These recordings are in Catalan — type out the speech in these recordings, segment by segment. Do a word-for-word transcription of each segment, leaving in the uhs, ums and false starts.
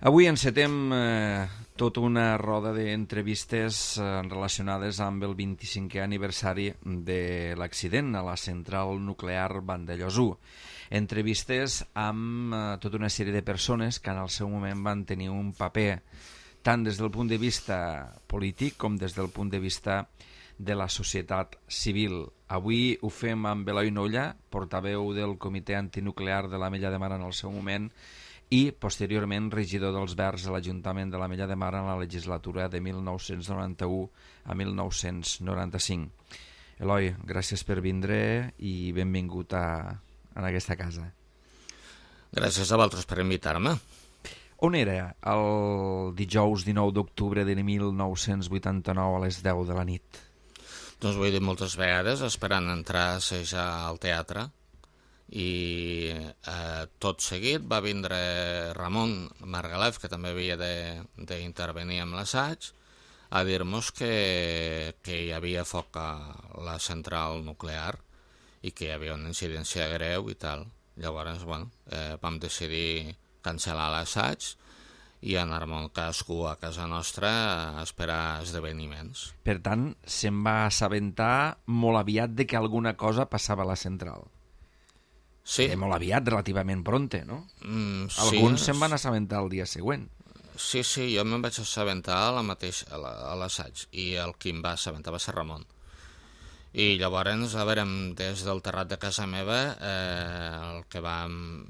Avui encetem eh, tota una roda d'entrevistes eh, relacionades amb el vint-i-cinquè aniversari de l'accident a la central nuclear Vandellòs u. Entrevistes amb eh, tota una sèrie de persones que en el seu moment van tenir un paper tant des del punt de vista polític com des del punt de vista de la societat civil. Avui ho fem amb Eloi Nolla, portaveu del Comitè Antinuclear de l'Ametlla de Mar en el seu moment, i posteriorment regidor dels Verds a l'Ajuntament de l'Ametlla de Mar en la legislatura de mil nou-cents noranta-u a mil nou-cents noranta-cinc. Eloi, gràcies per vindre i benvingut a, a aquesta casa. Gràcies a vosaltres per invitar-me. On era el dijous dinou d'octubre de mil nou-cents vuitanta-nou a les deu de la nit? Doncs ho he dit moltes vegades, esperant entrar a assajar al teatre, i eh, tot seguit va vindre Ramon Margalef, que també havia d'intervenir amb l'assaig, a dir-nos que, que hi havia foc a la central nuclear i que hi havia una incidència greu i tal. Llavors, bueno, eh, vam decidir cancel·lar l'assaig i anar-me'n cadascú a casa nostra a esperar esdeveniments. Per tant, se'n va assabentar molt aviat de que alguna cosa passava a la central. Sí. Eh, molt aviat, relativament pronte, no? Mm, Alguns sí, se'n van assabentar el dia següent. Sí, sí, jo me'n vaig assabentar a la mateixa, a la- a l'assaig, i el qui em va assabentar va ser Ramon. I llavors, a veure, des del terrat de casa meva, eh, el que vam,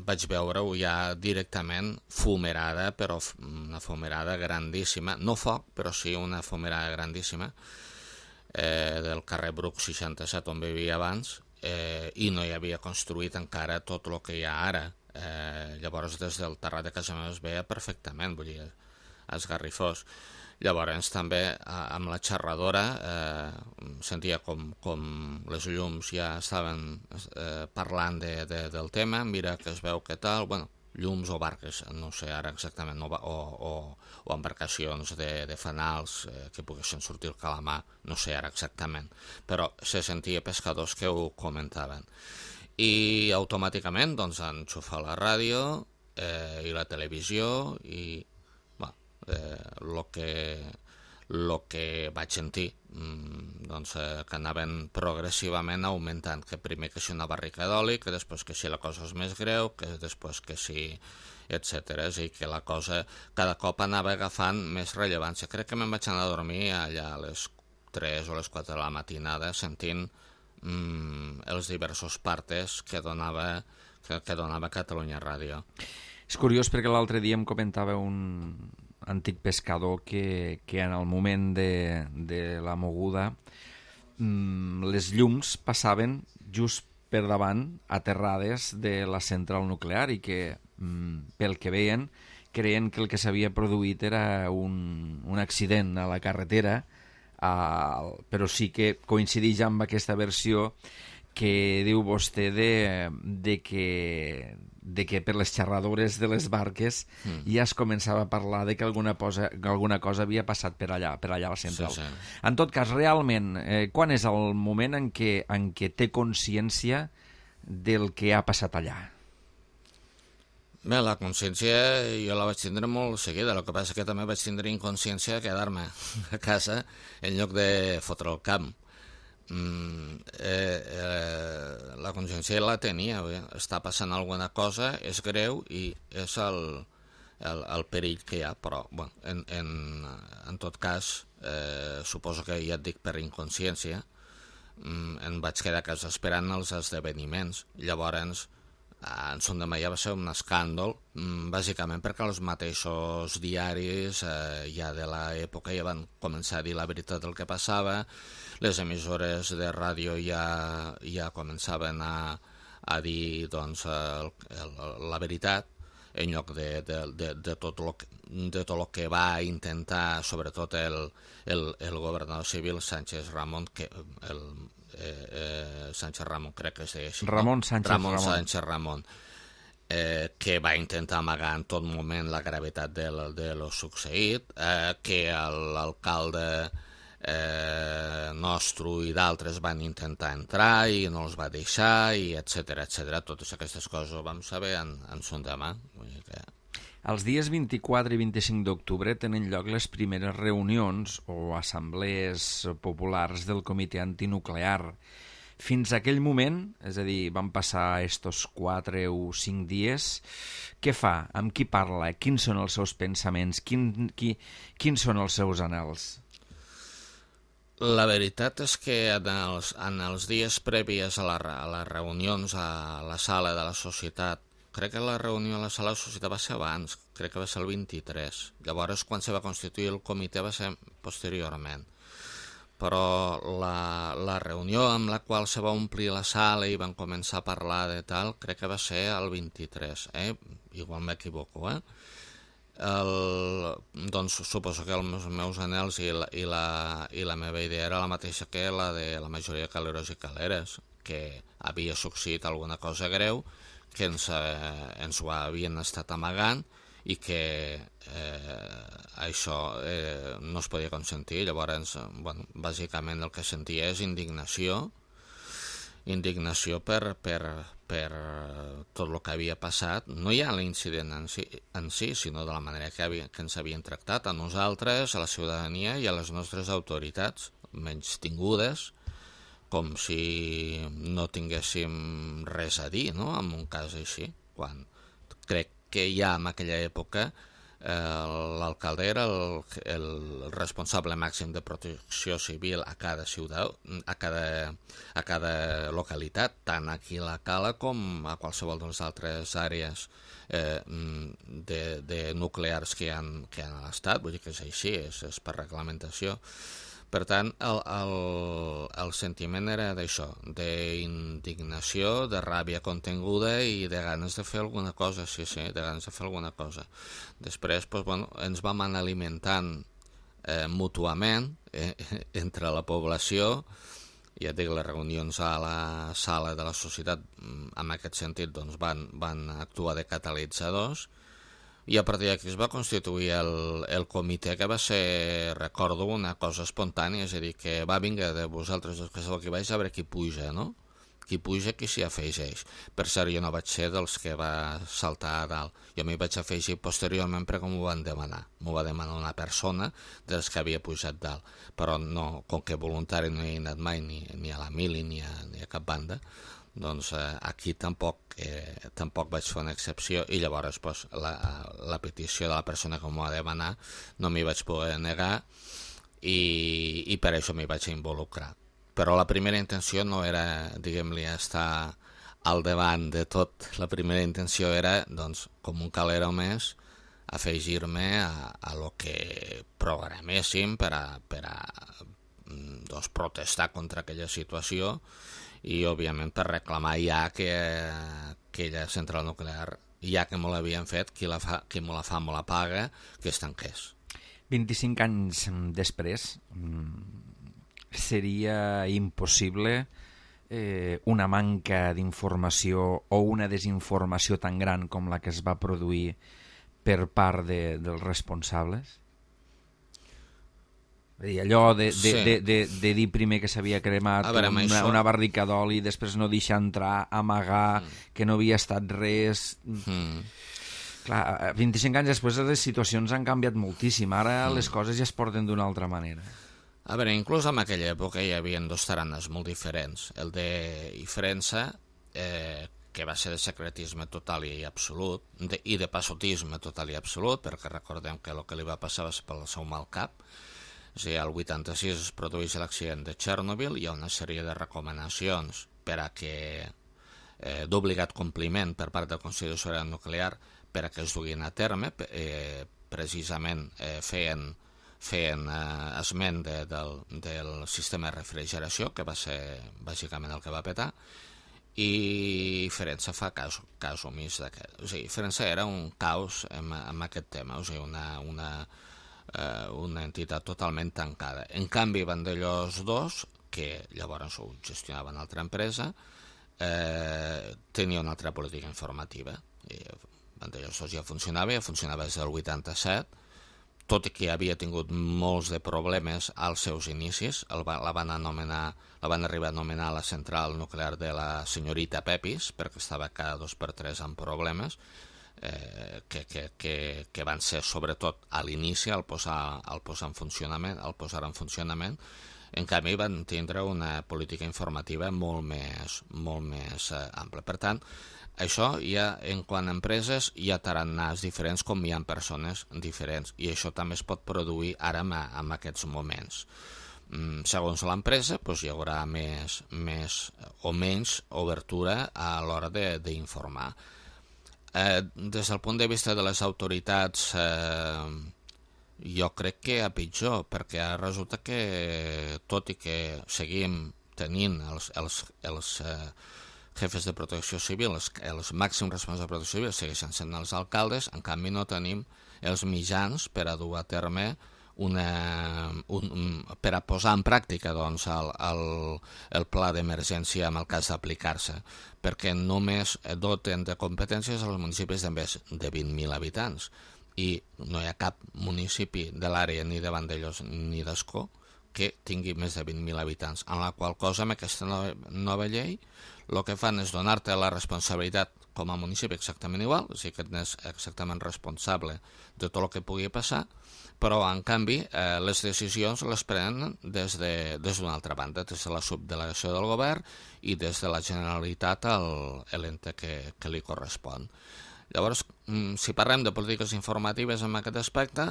vaig veure-ho ja directament fumerada, però f- una fumerada grandíssima, no foc, però sí una fumerada grandíssima, eh, del carrer Bruc seixanta-set, on vivia abans, eh, i no hi havia construït encara tot el que hi ha ara. Eh, llavors, des del terrat de casa meva es veia perfectament, vull dir, esgarrifós. Llavors, també, a- amb la xerradora, eh, sentia com, com les llums ja estaven eh, parlant de, de, del tema, mira que es veu que tal, bueno, llums o barques, no sé ara exactament, o, o, o, o embarcacions de, de fanals eh, que poguessin sortir el calamar, no sé ara exactament, però se sentia pescadors que ho comentaven. I automàticament, doncs, enxufar la ràdio eh, i la televisió i, bueno, eh, lo que, lo que vaig sentir, mm, doncs, eh, que anaven progressivament augmentant, que primer que si una barrica d'oli, que després que si la cosa és més greu, que després que si, etcètera. És a dir, que la cosa cada cop anava agafant més rellevància. Crec que me'n vaig anar a dormir allà a les tres o les quatre de la matinada sentint mm, els diversos partes que donava, que, que donava Catalunya Ràdio. És curiós perquè l'altre dia em comentava un antic pescador que, que en el moment de, de la moguda mm, les llums passaven just per davant, aterrades de la central nuclear i que, mm, pel que veien, creien que el que s'havia produït era un, un accident a la carretera, uh, però sí que coincideix amb aquesta versió que diu vostè de, de, que, de que per les xerradores de les barques mm. ja es començava a parlar de que alguna cosa, alguna cosa havia passat per allà, per allà a la central. Sí, sí. En tot cas, realment, eh, quan és el moment en què, en què té consciència del que ha passat allà? Bé, la consciència jo la vaig tindre molt seguida, el que passa que també vaig tindre inconsciència de quedar-me a casa en lloc de fotre el camp. Mm, eh, eh, la consciència la tenia, bé, està passant alguna cosa, és greu i és el, el, el perill que hi ha, però bueno, en, en, en tot cas, eh, suposo que ja et dic per inconsciència, mm, em vaig quedar a casa esperant els esdeveniments. Llavors, en Son de Maià va ser un escàndol, mm, bàsicament perquè els mateixos diaris eh, ja de l'època ja van començar a dir la veritat del que passava, les emissores de ràdio ja, ja començaven a, a dir doncs, el, el, la veritat, en lloc de, de, de, de, tot lo que, de tot el que va intentar, sobretot el, el, el governador civil Sánchez Ramon, que el, eh, eh, Sánchez Ramon crec que es deia així, Ramon no? Sánchez Ramon, Ramon. Sánchez Ramon, eh, que va intentar amagar en tot moment la gravetat de, de lo succeït, eh, que l'alcalde eh, nostre i d'altres van intentar entrar i no els va deixar, i etcètera, etcètera. Totes aquestes coses ho vam saber en, en son demà. Vull dir que... Els dies vint-i-quatre i vint-i-cinc d'octubre tenen lloc les primeres reunions o assemblees populars del Comitè Antinuclear. Fins a aquell moment, és a dir, van passar estos quatre o cinc dies, què fa? Amb qui parla? Quins són els seus pensaments? Quin, qui, quins són els seus anhels? La veritat és que en els, en els dies previs a, la, a les reunions a la sala de la societat, crec que la reunió a la sala de la societat va ser abans, crec que va ser el vint-i-tres. Llavors, quan se va constituir el comitè va ser posteriorment. Però la, la reunió amb la qual se va omplir la sala i van començar a parlar de tal, crec que va ser el vint-i-tres, eh? Igual m'equivoco, eh? El, doncs suposo que els meus anhels i la, i, la, i la meva idea era la mateixa que la de la majoria de caleros i caleres, que havia succeït alguna cosa greu, que ens, eh, ens ho havien estat amagant i que eh, això eh, no es podia consentir. Llavors, bueno, bàsicament el que sentia és indignació, indignació per, per, per tot el que havia passat, no ja l'incident en si, en si, sinó de la manera que, havia, que ens havien tractat a nosaltres, a la ciutadania i a les nostres autoritats, menys tingudes, com si no tinguéssim res a dir, no?, en un cas així, quan crec que ja en aquella època eh, l'alcalde era el, el responsable màxim de protecció civil a cada ciutat, a cada, a cada localitat, tant aquí a la Cala com a qualsevol de les altres àrees eh, de, de nuclears que hi ha, que hi ha a l'Estat. Vull dir que és així, és, és per reglamentació. Per tant, el, el, el sentiment era d'això, d'indignació, de ràbia contenguda i de ganes de fer alguna cosa, sí, sí, de ganes de fer alguna cosa. Després, doncs, bueno, ens vam anar alimentant eh, mútuament eh, entre la població. Ja et dic, les reunions a la sala de la societat, en aquest sentit, doncs, van, van actuar de catalitzadors. I a partir d'aquí es va constituir el, el comitè, que va ser, recordo, una cosa espontània, és a dir, que va vinga de vosaltres dos que sou aquí baix a veure qui puja, no? Qui puja, qui s'hi afegeix. Per cert, jo no vaig ser dels que va saltar a dalt. Jo m'hi vaig afegir posteriorment perquè m'ho van demanar. M'ho va demanar una persona dels que havia pujat dalt. Però no, com que voluntari no he anat mai ni, ni a la mili ni a, ni a cap banda, doncs eh, aquí tampoc, eh, tampoc vaig fer una excepció i llavors pues, la, la petició de la persona que m'ho va demanar no m'hi vaig poder negar i, i per això m'hi vaig involucrar. Però la primera intenció no era, diguem-li, estar al davant de tot. La primera intenció era, doncs, com un calero més, afegir-me a, a lo que programéssim per a, per a doncs, protestar contra aquella situació i, òbviament, per reclamar ja que aquella central nuclear, ja que me l'havien fet, qui, la fa, qui me la fa me la paga, que es tanqués. vint-i-cinc anys després, seria impossible eh, una manca d'informació o una desinformació tan gran com la que es va produir per part de, dels responsables? I allò de, de, sí. de, de, de dir primer que s'havia cremat veure, una, això... una barrica d'oli, després no deixar entrar, amagar, mm. que no havia estat res... Mm. Clar, vint-i-cinc anys després les situacions han canviat moltíssim, ara mm. les coses ja es porten d'una altra manera. A veure, inclús en aquella època hi havia dos taranes molt diferents. El de Ifrensa, eh, que va ser de secretisme total i absolut, de, i de passotisme total i absolut, perquè recordem que el que li va passar va ser pel seu mal cap. És a dir, el vuitanta-sis es produeix l'accident de Txernòbil, hi ha una sèrie de recomanacions per a que eh, d'obligat compliment per part del Consell de Seguretat Nuclear per a que es duguin a terme, eh, precisament eh, feien, feien eh, esment de, del, del sistema de refrigeració, que va ser bàsicament el que va petar, i Firenze fa cas, cas omís d'aquest. O sigui, Firenze era un caos amb, amb aquest tema, o sigui, una... una Eh, una entitat totalment tancada. En canvi, Vandellós dos, que llavors ho gestionava una altra empresa, eh, tenia una altra política informativa. I Vandellós dos ja funcionava, ja funcionava des del vuitanta-set, tot i que havia tingut molts de problemes als seus inicis. El va, la, van anomenar, la van arribar a anomenar la central nuclear de la senyorita Pepis, perquè estava cada dos per tres amb problemes. eh, que, que, que, que van ser sobretot a l'inici, al posar, al posar en funcionament, al posar en funcionament. En canvi, van tindre una política informativa molt més, molt més eh, ampla. Per tant, això ja, en quant a empreses, hi ha tarannàs diferents com hi ha persones diferents, i això també es pot produir ara en, en aquests moments. Mm, segons l'empresa, doncs hi haurà més, més o menys obertura a l'hora d'informar. Eh, des del punt de vista de les autoritats, eh, jo crec que a pitjor, perquè ara resulta que, tot i que seguim tenint els, els, els eh, jefes de protecció civil, els, els màxims responsables de protecció civil segueixen sent els alcaldes, en canvi no tenim els mitjans per a dur a terme una, un, un, per a posar en pràctica doncs, el, el, el pla d'emergència en el cas d'aplicar-se, perquè només doten de competències als municipis de més de vint mil habitants, i no hi ha cap municipi de l'àrea ni de Vandellòs ni d'Ascó que tingui més de vint mil habitants, en la qual cosa amb aquesta nova, nova llei el que fan és donar-te la responsabilitat com a municipi exactament igual, o sigui que ets exactament responsable de tot el que pugui passar, però en canvi eh, les decisions les prenen des d'una de, altra banda, des de la subdelegació del govern i des de la Generalitat a l'ente que, que li correspon. Llavors, si parlem de polítiques informatives en aquest aspecte,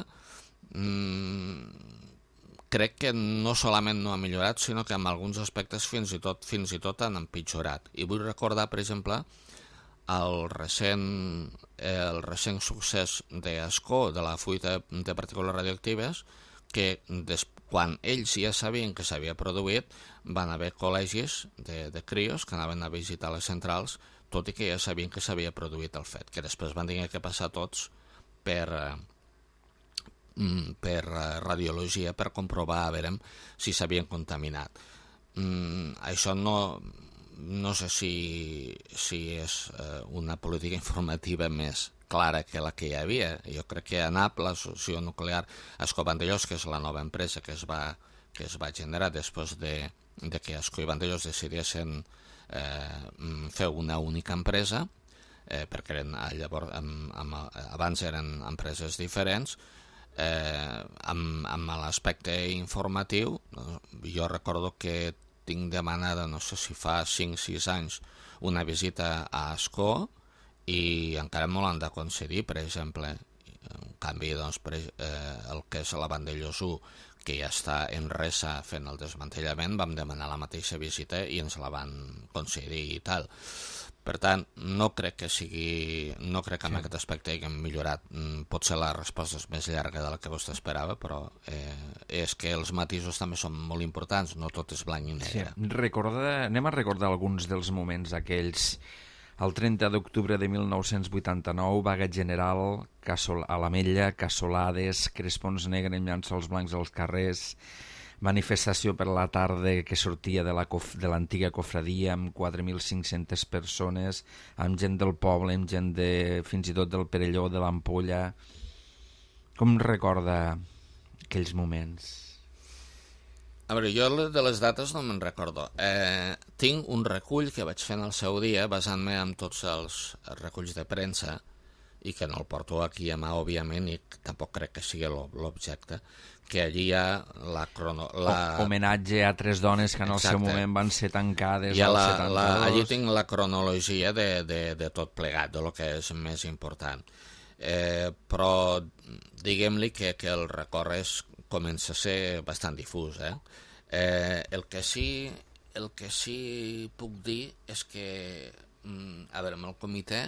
mmm, crec que no solament no ha millorat, sinó que en alguns aspectes fins i tot fins i tot han empitjorat. I vull recordar, per exemple, el recent, el recent succés d'Ascó, de la fuita de partícules radioactives, que des, quan ells ja sabien que s'havia produït, van haver col·legis de, de crios que anaven a visitar les centrals, tot i que ja sabien que s'havia produït el fet, que després van tenir que passar tots per... per radiologia per comprovar a veure si s'havien contaminat. Mm, això no, no sé si, si és eh, una política informativa més clara que la que hi havia. Jo crec que a N A P, l'associació nuclear Ascó Vandellòs, que és la nova empresa que es va, que es va generar després de, de que Ascó i Vandellòs decidissin eh, fer una única empresa, eh, perquè eren, llavors, amb, amb, abans eren empreses diferents. Eh, amb, amb l'aspecte informatiu, jo recordo que tinc demanada, no sé si fa cinc o sis anys, una visita a Ascó i encara me l'han de concedir, per exemple. En canvi, doncs, per, eh, el que és la Vandellòs u, que ja està en resa fent el desmantellament, vam demanar la mateixa visita i ens la van concedir i tal. Per tant, no crec que sigui, no crec que en sí. aquest aspecte haguem millorat. Potser la resposta és més llarga de la que vostè esperava, però eh, és que els matisos també són molt importants, no tot és blanc i negre. Sí. Recorda, anem a recordar alguns dels moments aquells. El trenta d'octubre de mil nou-cents vuitanta-nou, vaga general Casol, a l'Ametlla, cassolades, crespons negres amb llençols blancs als carrers, manifestació per la tarda que sortia de l'antiga cofradia amb quatre mil cinc-centes persones, amb gent del poble, amb gent de, fins i tot del Perelló, de l'Ampolla. Com recorda aquells moments? A veure, jo de les dates no me'n recordo. Eh, tinc un recull que vaig fer en el seu dia, basant-me en tots els reculls de premsa, i que no el porto aquí a mà, òbviament, i tampoc crec que sigui l'objecte, que allí hi ha la... Crono, la... homenatge a tres dones que en el Exacte. seu moment van ser tancades al la, setanta-dos. La, allí tinc la cronologia de, de, de tot plegat, de lo que és més important. Eh, però diguem-li que, que el record és, comença a ser bastant difús. Eh? Eh, el, que sí, el que sí puc dir és que, a veure, amb el comitè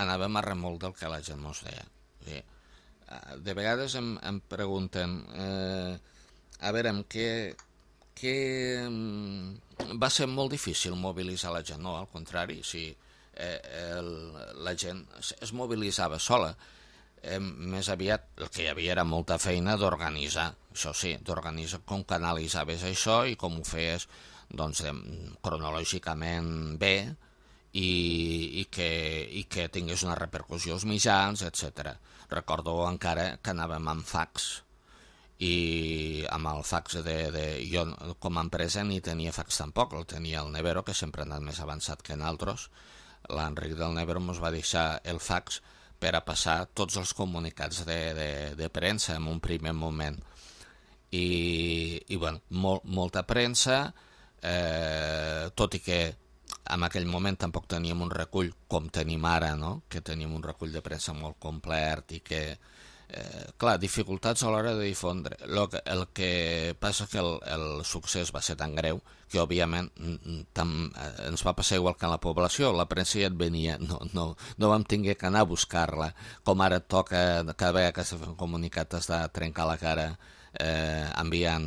anàvem a remolc del que la gent mos deia. O sigui, de vegades em, em pregunten eh, a veure, què, què va ser molt difícil mobilitzar la gent? No, al contrari, si eh, el, la gent es mobilitzava sola, eh, més aviat el que hi havia era molta feina d'organitzar, això sí, d'organitzar com canalitzaves això i com ho feies doncs, cronològicament bé, I, i, que, i que tingués una repercussió als mitjans, etcètera. Recordo encara que anàvem amb fax, i amb el fax de, de... Jo com a empresa ni tenia fax tampoc, el tenia el Nevero, que sempre ha anat més avançat que en altres. L'Enric del Nevero ens va deixar el fax per a passar tots els comunicats de, de, de premsa en un primer moment. I, i bueno, molt, molta premsa, eh, tot i que en aquell moment tampoc teníem un recull com tenim ara, no? Que tenim un recull de premsa molt complet i que, eh, clar, dificultats a l'hora de difondre. Lo que, el que passa que el, el succés va ser tan greu que, òbviament, tam, eh, ens va passar igual que en la població. La premsa ja et venia, no, no, no vam tinguer que anar a buscar-la, com ara et toca, cada vegada que s'ha fet un comunicat t'has de trencar la cara eh, enviant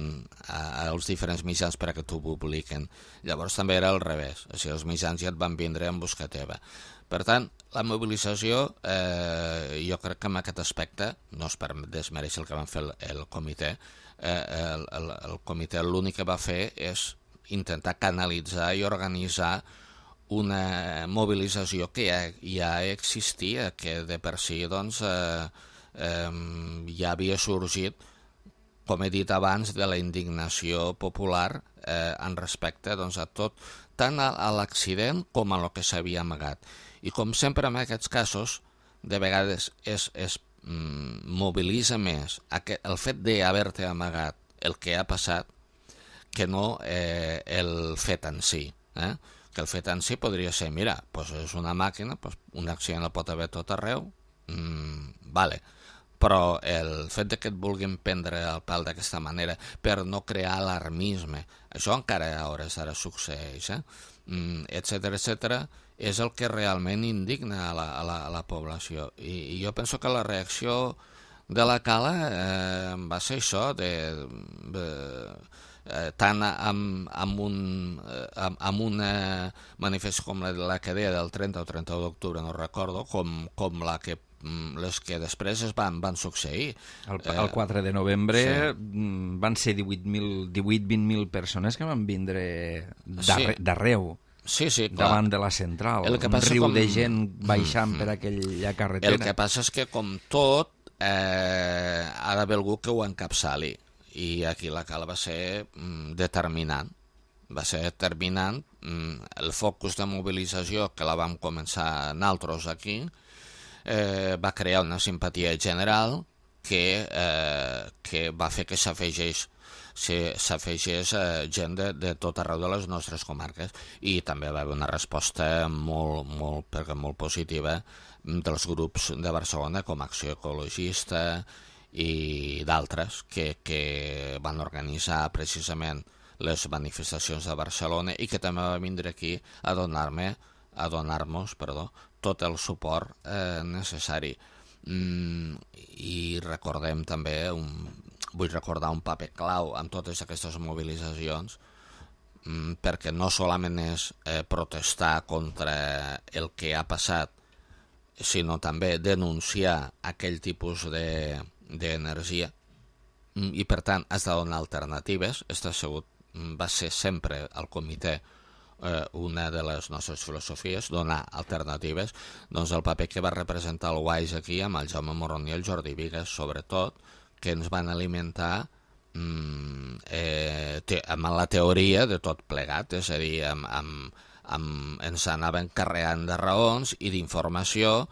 a, als diferents mitjans per a que t'ho publiquen. Llavors també era al revés, o sigui, els mitjans ja et van vindre en busca teva. Per tant, la mobilització, eh, jo crec que en aquest aspecte, no és per desmereixer el que van fer el, el comitè, eh, el, el, el comitè l'únic que va fer és intentar canalitzar i organitzar una mobilització que ja, ja existia, que de per si doncs, eh, eh, ja havia sorgit, com he dit abans, de la indignació popular eh, en respecte doncs, a tot, tant a, a l'accident com a lo que s'havia amagat. I com sempre en aquests casos, de vegades es, es mm, mobilitza més aquest, el fet d'haver-te amagat el que ha passat que no eh, el fet en si. Eh? Que el fet en si podria ser, mira, pues és una màquina, pues un accident el pot haver tot arreu, mm, vale, però el fet de que et vulguin prendre el pèl d'aquesta manera per no crear alarmisme, això encara a hores d'ara succeeix, eh? mm, etcètera, etcètera, és el que realment indigna a la, a la, a la població. I, I jo penso que la reacció de la Cala eh, va ser això, de, de, eh, tant amb, amb, un, eh, amb, amb una manifestació com la, la que deia del trenta o trenta-u d'octubre, no recordo, com, com la que les que després es van, van succeir. El, el quatre de novembre sí. Van ser divuit vint mil persones que van vindre d'arreu. Sí, sí, clar. Davant de la central, un riu com... de gent baixant mm, per aquella carretera. El que passa és que, com tot, eh, ha d'haver algú que ho encapçali, i aquí la Cala va ser mm, determinant. Va ser determinant mm, el focus de mobilització que la vam començar nosaltres aquí, eh, va crear una simpatia general que, eh, que va fer que s'afegeix s'afegeix eh, gent de, de tot arreu de les nostres comarques, i també va haver una resposta molt, molt, perquè molt positiva dels grups de Barcelona com Acció Ecologista i d'altres que, que van organitzar precisament les manifestacions de Barcelona i que també va vindre aquí a donar-me a donar-nos, perdó, tot el suport eh, necessari. Mm, I recordem també un vull recordar un paper clau en totes aquestes mobilitzacions, perquè no solament és eh, protestar contra el que ha passat, sinó també denunciar aquell tipus d'energia, de, i per tant has de donar alternatives. Està segut, va ser sempre el comitè eh, una de les nostres filosofies, donar alternatives. Doncs el paper que va representar el Wise aquí amb el Jaume Morón i el Jordi Vigues, sobretot, que ens van alimentar mm, eh, te, amb la teoria de tot plegat, és a dir, amb, amb, amb, ens anaven carregant de raons i d'informació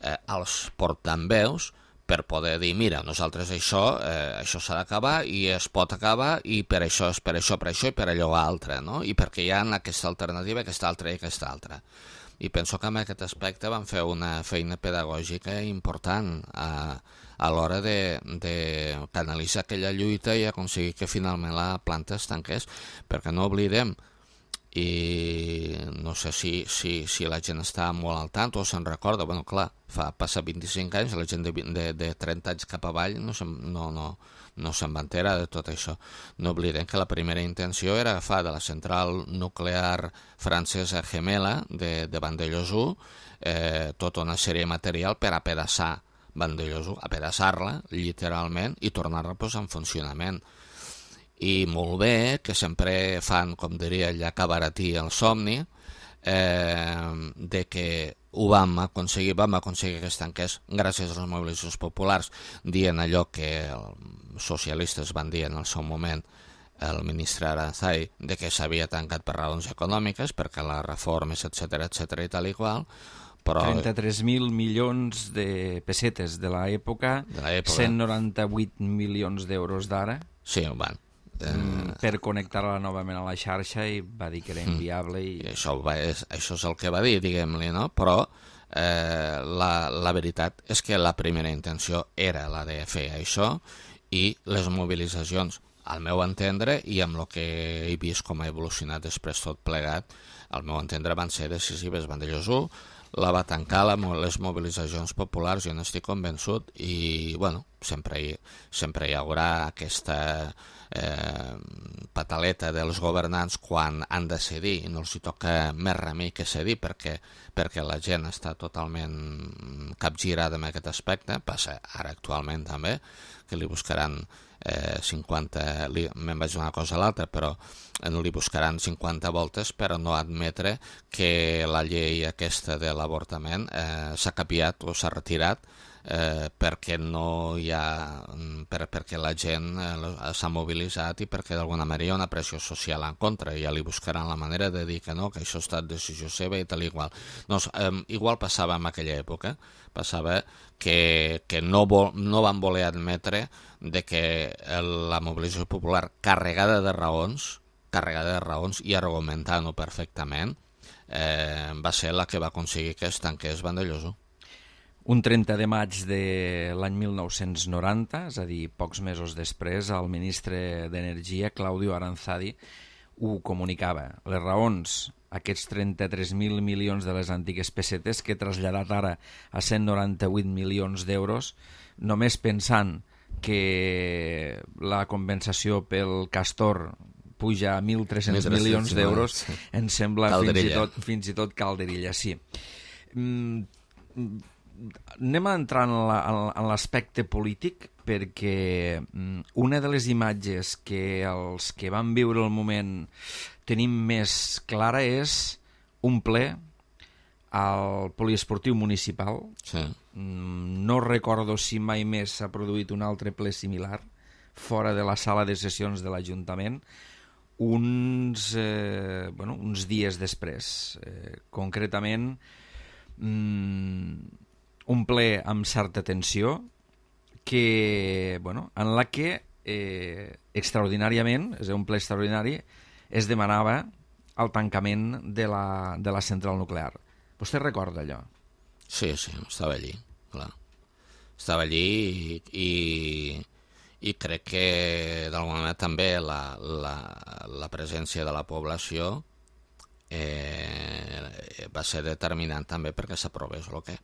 eh, als portaveus per poder dir, mira, nosaltres això eh, això s'ha d'acabar i es pot acabar i per això, és per això, per això i per allò altre, no? I perquè hi ha aquesta alternativa, aquesta altra i aquesta altra. I penso que en aquest aspecte van fer una feina pedagògica important a, a l'hora de, de canalitzar aquella lluita i aconseguir que finalment la planta es tanqués, perquè no oblidem, i no sé si, si, si la gent està molt al tant o se'n recorda, bueno, clar, fa passar vint-i-cinc anys, la gent de, de, de trenta anys cap avall no se'n no, no, no se'n va enterar de tot això. No oblidem que la primera intenció era agafar de la central nuclear francesa Gemela de, de Vandellòs u eh, tota una sèrie de material per apedaçar Vandellòs u, apedaçar-la literalment i tornar-la pues, en funcionament. I molt bé, que sempre fan, com diria ella, cabaratir el somni, eh, de que ho vam aconseguir, vam aconseguir que es tanqués gràcies a les mobilitzacions populars, dient allò que els socialistes van dir en el seu moment, el ministre Aranzai, de que s'havia tancat per raons econòmiques, perquè les reformes, etcètera, etcètera i tal i qual, Però... trenta-tres mil milions de pessetes de l'època, cent noranta-vuit milions d'euros d'ara. Sí, bueno. Eh... per connectar-la novament a la xarxa, i va dir que era inviable. I... I això, va, és, això és el que va dir, diguem-li, no? Però eh, la, la veritat és que la primera intenció era la de fer això, i les mobilitzacions, al meu entendre, i amb el que he vist com ha evolucionat després tot plegat, al meu entendre van ser decisives. Vandellòs u la va tancar la, les mobilitzacions populars, jo n'estic convençut, i bueno, sempre hi, sempre hi haurà aquesta eh, pataleta dels governants quan han de cedir, i no els hi toca més remei que cedir, perquè, perquè la gent està totalment capgirada en aquest aspecte. Passa ara actualment també, que li buscaran eh, cinquanta, li, me'n vaig una cosa a l'altra, però li buscaran cinquanta voltes per no admetre que la llei aquesta de l'avortament eh, s'ha canviat o s'ha retirat eh, perquè no hi ha, per, perquè la gent eh, s'ha mobilitzat i perquè d'alguna manera hi ha una pressió social en contra, i ja li buscaran la manera de dir que no, que això ha estat decisió seva i tal i igual. No, eh, igual passava en aquella època, passava que, que no, vol, no van voler admetre de que la mobilització popular carregada de raons, carregada de raons i argumentant-ho perfectament, eh, va ser la que va aconseguir que es tanqués Vandellòs u. Un trenta de maig de l'any mil nou-cents noranta, és a dir, pocs mesos després, el ministre d'Energia, Claudio Aranzadi, ho comunicava. Les raons, aquests trenta-tres mil milions de les antigues pessetes, que he traslladat ara a cent noranta-vuit milions d'euros, només pensant que la compensació pel castor puja a mil tres-cents milions d'euros, sí. Em sembla fins i, tot, fins i tot calderilla, sí. Mm, anem a entrar en l'aspecte polític, perquè una de les imatges que els que van viure el moment tenim més clara és un ple al poliesportiu municipal. Sí. No recordo si mai més s'ha produït un altre ple similar fora de la sala de sessions de l'Ajuntament, uns, eh, bueno, uns dies després. Eh, concretament, mm, un ple amb certa tensió, que, bueno, en la que eh, extraordinàriament, és un ple extraordinari, es demanava el tancament de la, de la central nuclear. Vostè recorda allò? Sí, sí, estava allí, clar. Estava allí i, i, i crec que d'alguna manera també la, la, la presència de la població eh, va ser determinant també perquè s'aprovés el que...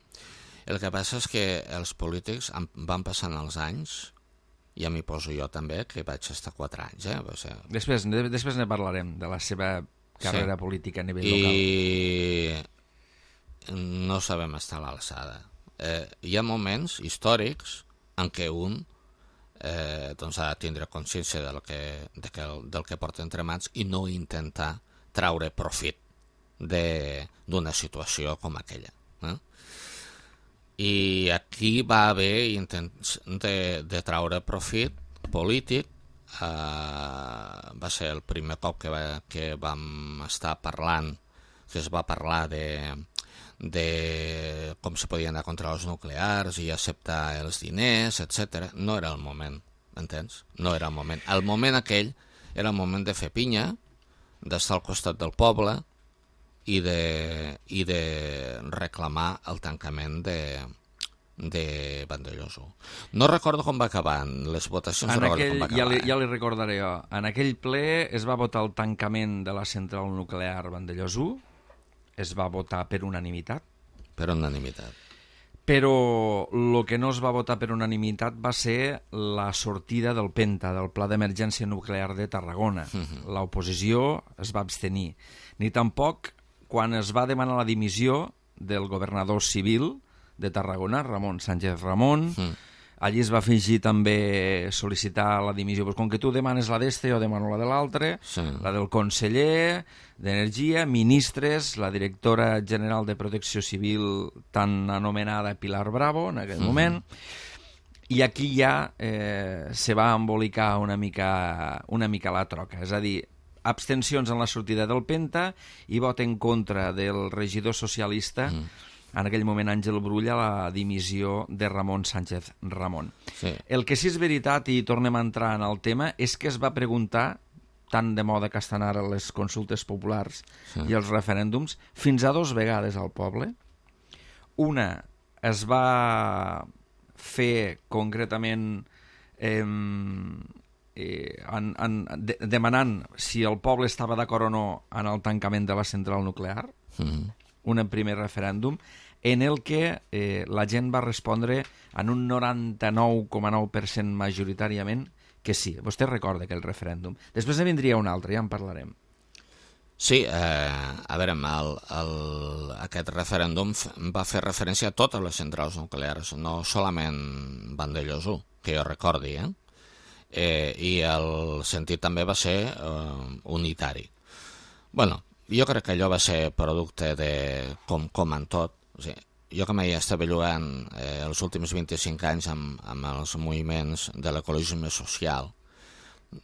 El que passa és que els polítics van passant els anys, ja m'hi poso jo també, que vaig estar quatre anys. Eh? O sigui... Després, després ne parlarem, de la seva carrera sí. política a nivell I... local. No sabem estar a l'alçada. Eh, hi ha moments històrics en què un eh, doncs ha de tindre consciència del que, de que, del que porta entre mans i no intentar traure profit d'una situació com aquella. Eh? I aquí va haver intents de, de traure profit polític. Eh, va ser el primer cop que, va, que vam estar parlant, que es va parlar de, de com se podien anar contra els nuclears i acceptar els diners, etcètera. No era el moment, entens? No era el moment. El moment aquell era el moment de fer pinya, d'estar al costat del poble, i de, i de reclamar el tancament de, de Vandellòs u. No recordo com va acabar les votacions. En no aquell, com va acabar, ja, li, eh? ja li recordaré jo. En aquell ple es va votar el tancament de la central nuclear Vandellòs u, es va votar per unanimitat. Per unanimitat. Però el que no es va votar per unanimitat va ser la sortida del PENTA, del Pla d'Emergència Nuclear de Tarragona. Uh-huh. L'oposició es va abstenir. Ni tampoc quan es va demanar la dimissió del governador civil de Tarragona, Ramon Sánchez Ramon, mm. allí es va afegir també sol·licitar la dimissió. Pues com que tu demanes la d'este, jo demano la de l'altre, sí. La del conseller d'Energia, ministres, la directora general de Protecció Civil tan anomenada Pilar Bravo en aquell mm. moment, i aquí ja eh, se va embolicar una mica, una mica la troca, és a dir, abstencions en la sortida del PENTA i vot en contra del regidor socialista mm. en aquell moment Àngel Brull, a la dimissió de Ramon Sánchez Ramon. Sí. El que sí és veritat, i tornem a entrar en el tema, és que es va preguntar, tan de moda que estan ara les consultes populars sí. i els referèndums, fins a dos vegades al poble. Una es va fer concretament eh, eh, en, en, de, demanant si el poble estava d'acord o no en el tancament de la central nuclear, mm-hmm. un primer referèndum, en el que eh, la gent va respondre en un noranta-nou coma nou per cent majoritàriament que sí. Vostè recorda aquell referèndum. Després ne vindria un altre, ja en parlarem. Sí, eh, a veure, el, el, aquest referèndum va fer referència a totes les centrals nuclears, no solament Vandellòs u, que jo recordi, eh? Eh, i el sentit també va ser eh, unitari. Bueno, jo crec que allò va ser producte de, com, com en tot, o sigui, jo que m'hi estava jugant eh, els últims vint-i-cinc anys amb, amb els moviments de l'ecologisme social,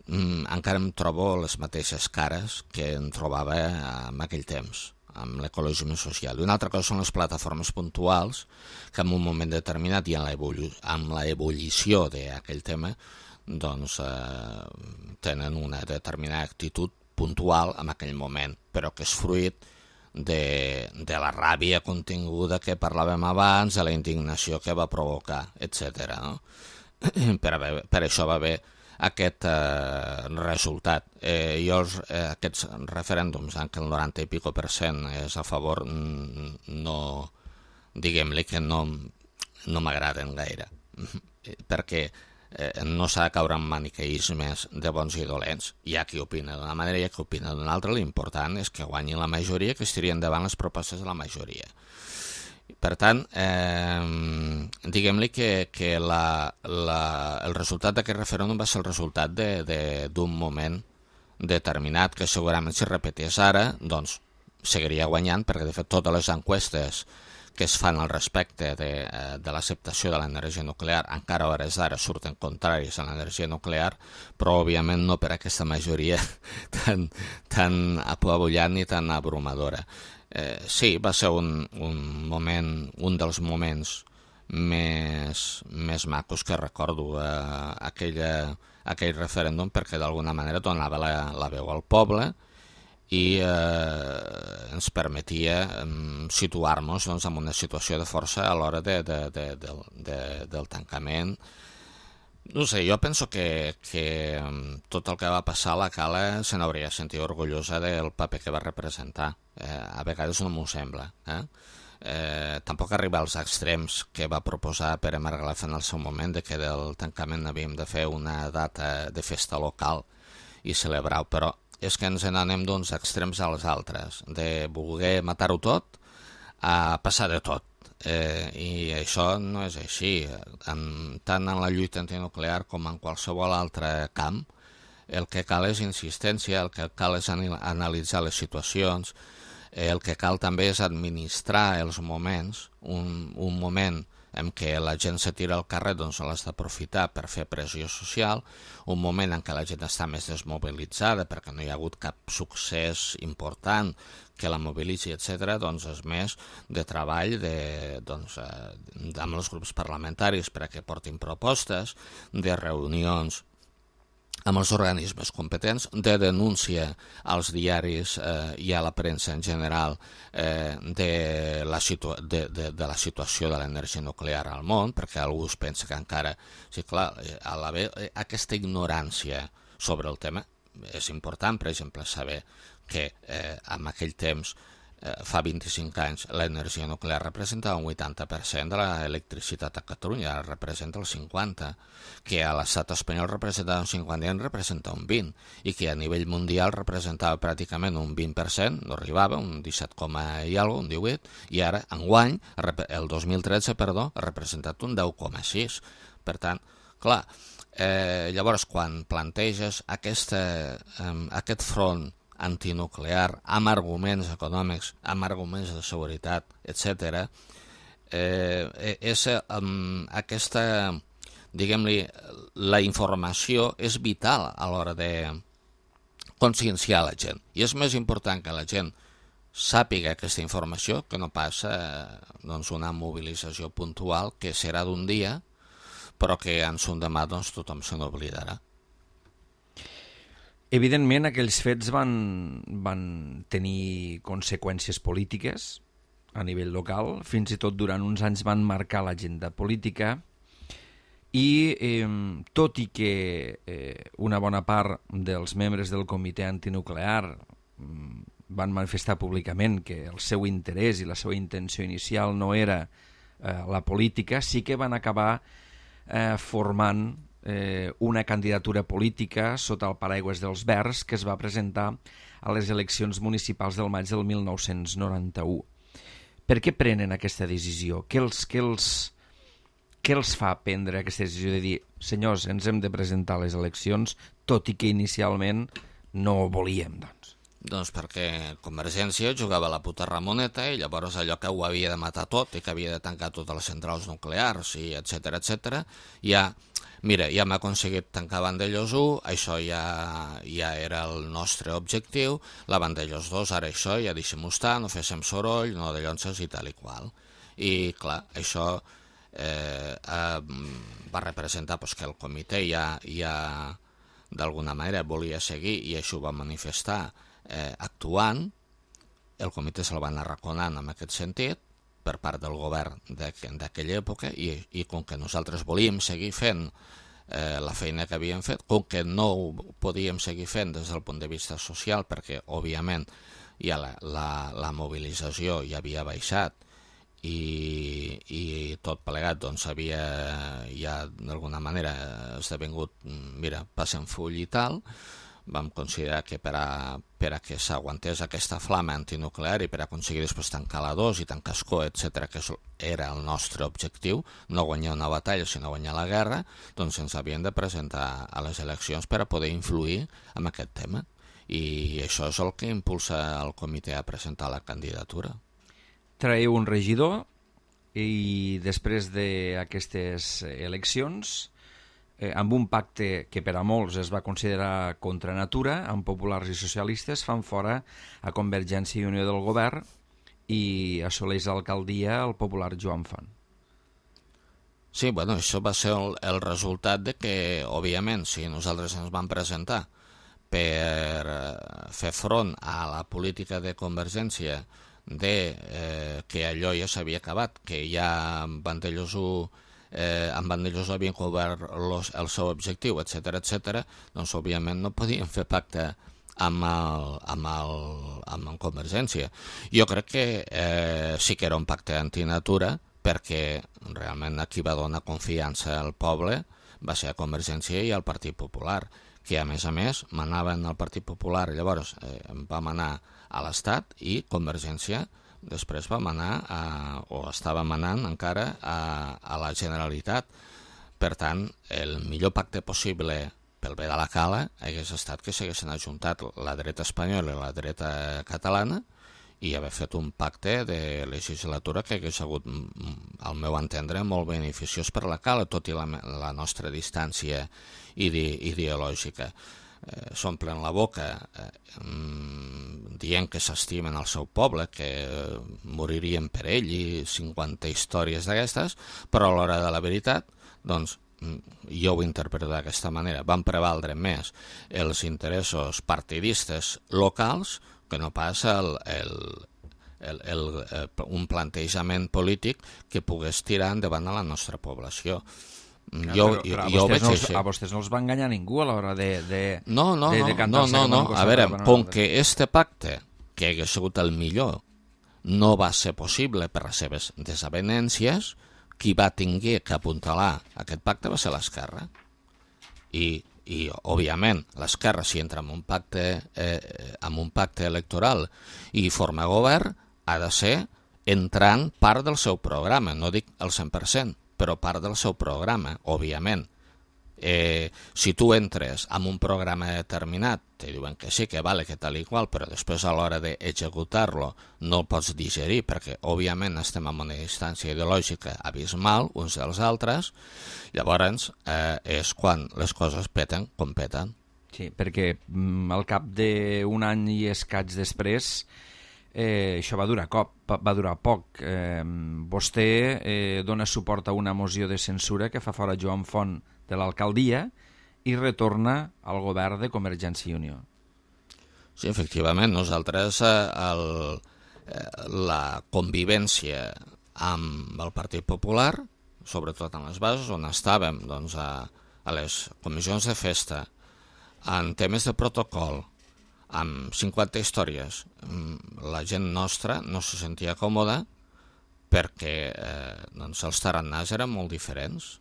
mm, encara em trobo les mateixes cares que em trobava en aquell temps, amb l'ecologisme social. I una altra cosa són les plataformes puntuals, que en un moment determinat i amb l'ebullició d'aquell tema, doncs eh, tenen una determinada actitud puntual en aquell moment, però que és fruit de, de la ràbia continguda que parlàvem abans, de la indignació que va provocar, etcètera. No? Per, haver, per això va haver aquest eh, resultat. Eh, jo els, eh, aquests referèndums, en què el noranta i pico per cent és a favor, no, diguem-li que no, no m'agraden gaire, perquè eh, no s'ha de caure en maniqueismes de bons i dolents. Hi ha qui opina d'una manera i hi ha qui opina d'una altra. L'important és que guanyi la majoria, que es tirien endavant les propostes de la majoria. Per tant, eh, diguem-li que, que la, la, el resultat d'aquest referèndum va ser el resultat d'un moment determinat, que segurament si repetés ara, doncs seguiria guanyant, perquè de fet totes les enquestes que es fan al respecte de, de l'acceptació de l'energia nuclear encara a hores d'ara surten contraris a l'energia nuclear, però òbviament no per aquesta majoria tan, tan apabullant ni tan abrumadora. Eh, sí, va ser un, un moment, un dels moments més, més macos que recordo eh, aquella, aquell referèndum, perquè d'alguna manera donava la, la veu al poble i eh, ens permetia eh, situar-nos doncs, en una situació de força a l'hora de, de, de, de, de, del tancament. No sé, jo penso que, que tot el que va passar a la Cala se n'hauria sentit orgullosa del paper que va representar. Eh, a vegades no m'ho sembla. Eh? Eh, tampoc arriba als extrems que va proposar Pere Margalef en el seu moment, de que del tancament havíem de fer una data de festa local i celebrar-ho, però és que ens n'anem d'uns extrems als altres, de voler matar-ho tot a passar de tot. Eh, I això no és així. En, tant en la lluita antinuclear com en qualsevol altre camp, el que cal és insistència, el que cal és analitzar les situacions, el que cal també és administrar els moments, un, un moment en què la gent se tira al carrer, doncs l'has d'aprofitar per fer pressió social, un moment en què la gent està més desmobilitzada perquè no hi ha hagut cap succés important que la mobilitzi, etcètera, doncs és més de treball de, doncs, eh, amb els grups parlamentaris perquè portin propostes, de reunions amb els organismes competents, de denúncia als diaris eh, i a la premsa en general eh, de, la de, de, de la situació de l'energia nuclear al món, perquè algú es pensa que encara... Sí, clar, a la ve, aquesta ignorància sobre el tema és important, per exemple, saber que eh, en aquell temps, eh, fa vint-i-cinc anys, l'energia nuclear representava un vuitanta per cent de l'electricitat a Catalunya, ara representa el cinquanta per cent, que a l'estat espanyol representava un cinquanta i en representa un vint, i que a nivell mundial representava pràcticament un vint per cent, no arribava, un disset, i alguna, un divuit, i ara, enguany, el dos mil tretze, perdó, ha representat un deu coma sis. Per tant, clar, eh, llavors quan planteges aquesta, eh, aquest front antinuclear amb arguments econòmics, amb arguments de seguretat, etcètera, eh, és eh, aquesta... diguem-li, la informació és vital a l'hora de conscienciar la gent. I és més important que la gent sàpiga aquesta informació, que no passa eh, doncs una mobilització puntual que serà d'un dia, però que en son demà doncs, tothom se n'oblidarà. Evidentment, aquells fets van, van tenir conseqüències polítiques a nivell local, fins i tot durant uns anys van marcar l'agenda política i eh, tot i que eh, una bona part dels membres del comitè antinuclear van manifestar públicament que el seu interès i la seva intenció inicial no era eh, la política, sí que van acabar eh, formant eh, una candidatura política sota el paraigües dels Verds que es va presentar a les eleccions municipals del maig del mil nou-cents noranta-u. Per què prenen aquesta decisió? Què els, què els, què els fa prendre aquesta decisió de dir senyors, ens hem de presentar a les eleccions, tot i que inicialment no ho volíem, doncs? Doncs perquè Convergència jugava a la puta Ramoneta i llavors allò que ho havia de matar tot i que havia de tancar totes les centrals nuclears i etcètera, etcètera, ja, mira, ja hem aconseguit tancar Vandellòs u, això ja, ja era el nostre objectiu, la Vandellòs dos, ara això, ja deixem-ho estar, no féssim soroll, no de llonces i tal i qual. I clar, això eh, eh, va representar pues, que el comitè ja, ja d'alguna manera volia seguir i això ho va manifestar Eh, actuant, el comitè se'l van arraconant en aquest sentit per part del govern d'aquella època i, i com que nosaltres volíem seguir fent eh, la feina que havíem fet, com que no ho podíem seguir fent des del punt de vista social perquè òbviament ja la, la, la mobilització ja havia baixat i, i tot plegat doncs havia ja d'alguna manera esdevingut, mira, passem full i tal, vam considerar que per a, per a que s'aguantés aquesta flama antinuclear i per a aconseguir després tancar la dos i tancar Escó, etcètera, que era el nostre objectiu, no guanyar una batalla sinó guanyar la guerra, doncs ens havien de presentar a les eleccions per a poder influir en aquest tema. I això és el que impulsa el comitè a presentar la candidatura. Traeu un regidor i després d'aquestes eleccions Eh, amb un pacte que per a molts es va considerar contra natura, amb populars i socialistes, fan fora a Convergència i Unió del govern i assoleix l'alcaldia el popular Joan Font. Sí, bueno, això va ser el, el resultat de que, òbviament, si nosaltres ens vam presentar per fer front a la política de Convergència de eh, que allò ja s'havia acabat, que ja Vandellòs u Eh, amb Vandellòs havien cobert los, el seu objectiu, etcètera, etcètera, doncs òbviament no podien fer pacte amb el, amb el, amb el Convergència. Jo crec que eh, sí que era un pacte antinatura perquè realment aquí va donar confiança al poble va ser a Convergència i al Partit Popular, que a més a més manaven al Partit Popular, llavors eh, vam anar a l'Estat i Convergència després va manar, a, o estava manant encara a, a la Generalitat. Per tant, el millor pacte possible pel bé de la cala hagués estat que s'haguessin ajuntat la dreta espanyola i la dreta catalana i haver fet un pacte de legislatura que hagués hagut, al meu entendre, molt beneficiós per la cala, tot i la, la nostra distància ide, ideològica. Eh, s'omplen la boca eh, mm, dient que s'estimen el seu poble, que eh, moririen per ell i cinquanta històries d'aquestes, però a l'hora de la veritat, doncs, jo ho interpreto d'aquesta manera, van prevaldre més els interessos partidistes locals que no pas el, el, el, el, el, un plantejament polític que pogués tirar endavant a la nostra població. Jo, però, però jo, jo veig no els, a vostès no els va enganyar ningú a l'hora de, de, no, no, de, de no, no, no, no. A veure, com que este pacte, que hagués sigut el millor, no va ser possible per les seves desavenències, qui va tinguer que apuntalar aquest pacte va ser l'esquerra. I, i òbviament, l'esquerra, si entra en un pacte, eh, en un pacte electoral i forma govern, ha de ser entrant part del seu programa, no dic el cent per cent, però part del seu programa, òbviament. Eh, si tu entres en un programa determinat, te diuen que sí, que vale, que tal i qual, però després a l'hora d'executar-lo no el pots digerir, perquè òbviament estem en una distància ideològica abismal uns dels altres, llavors eh, és quan les coses peten com peten. Sí, perquè mm, al cap d'un any i escaig després eh, això va durar, cop, va durar poc. Eh, vostè eh, dona suport a una moció de censura que fa fora Joan Font de l'alcaldia i retorna al govern de Convergència i Unió. Sí, efectivament, nosaltres eh, el, eh, la convivència amb el Partit Popular, sobretot en les bases on estàvem, doncs, a, a les comissions de festa, en temes de protocol, amb cinquanta històries, la gent nostra no se sentia còmoda perquè eh, doncs els tarannàs eren molt diferents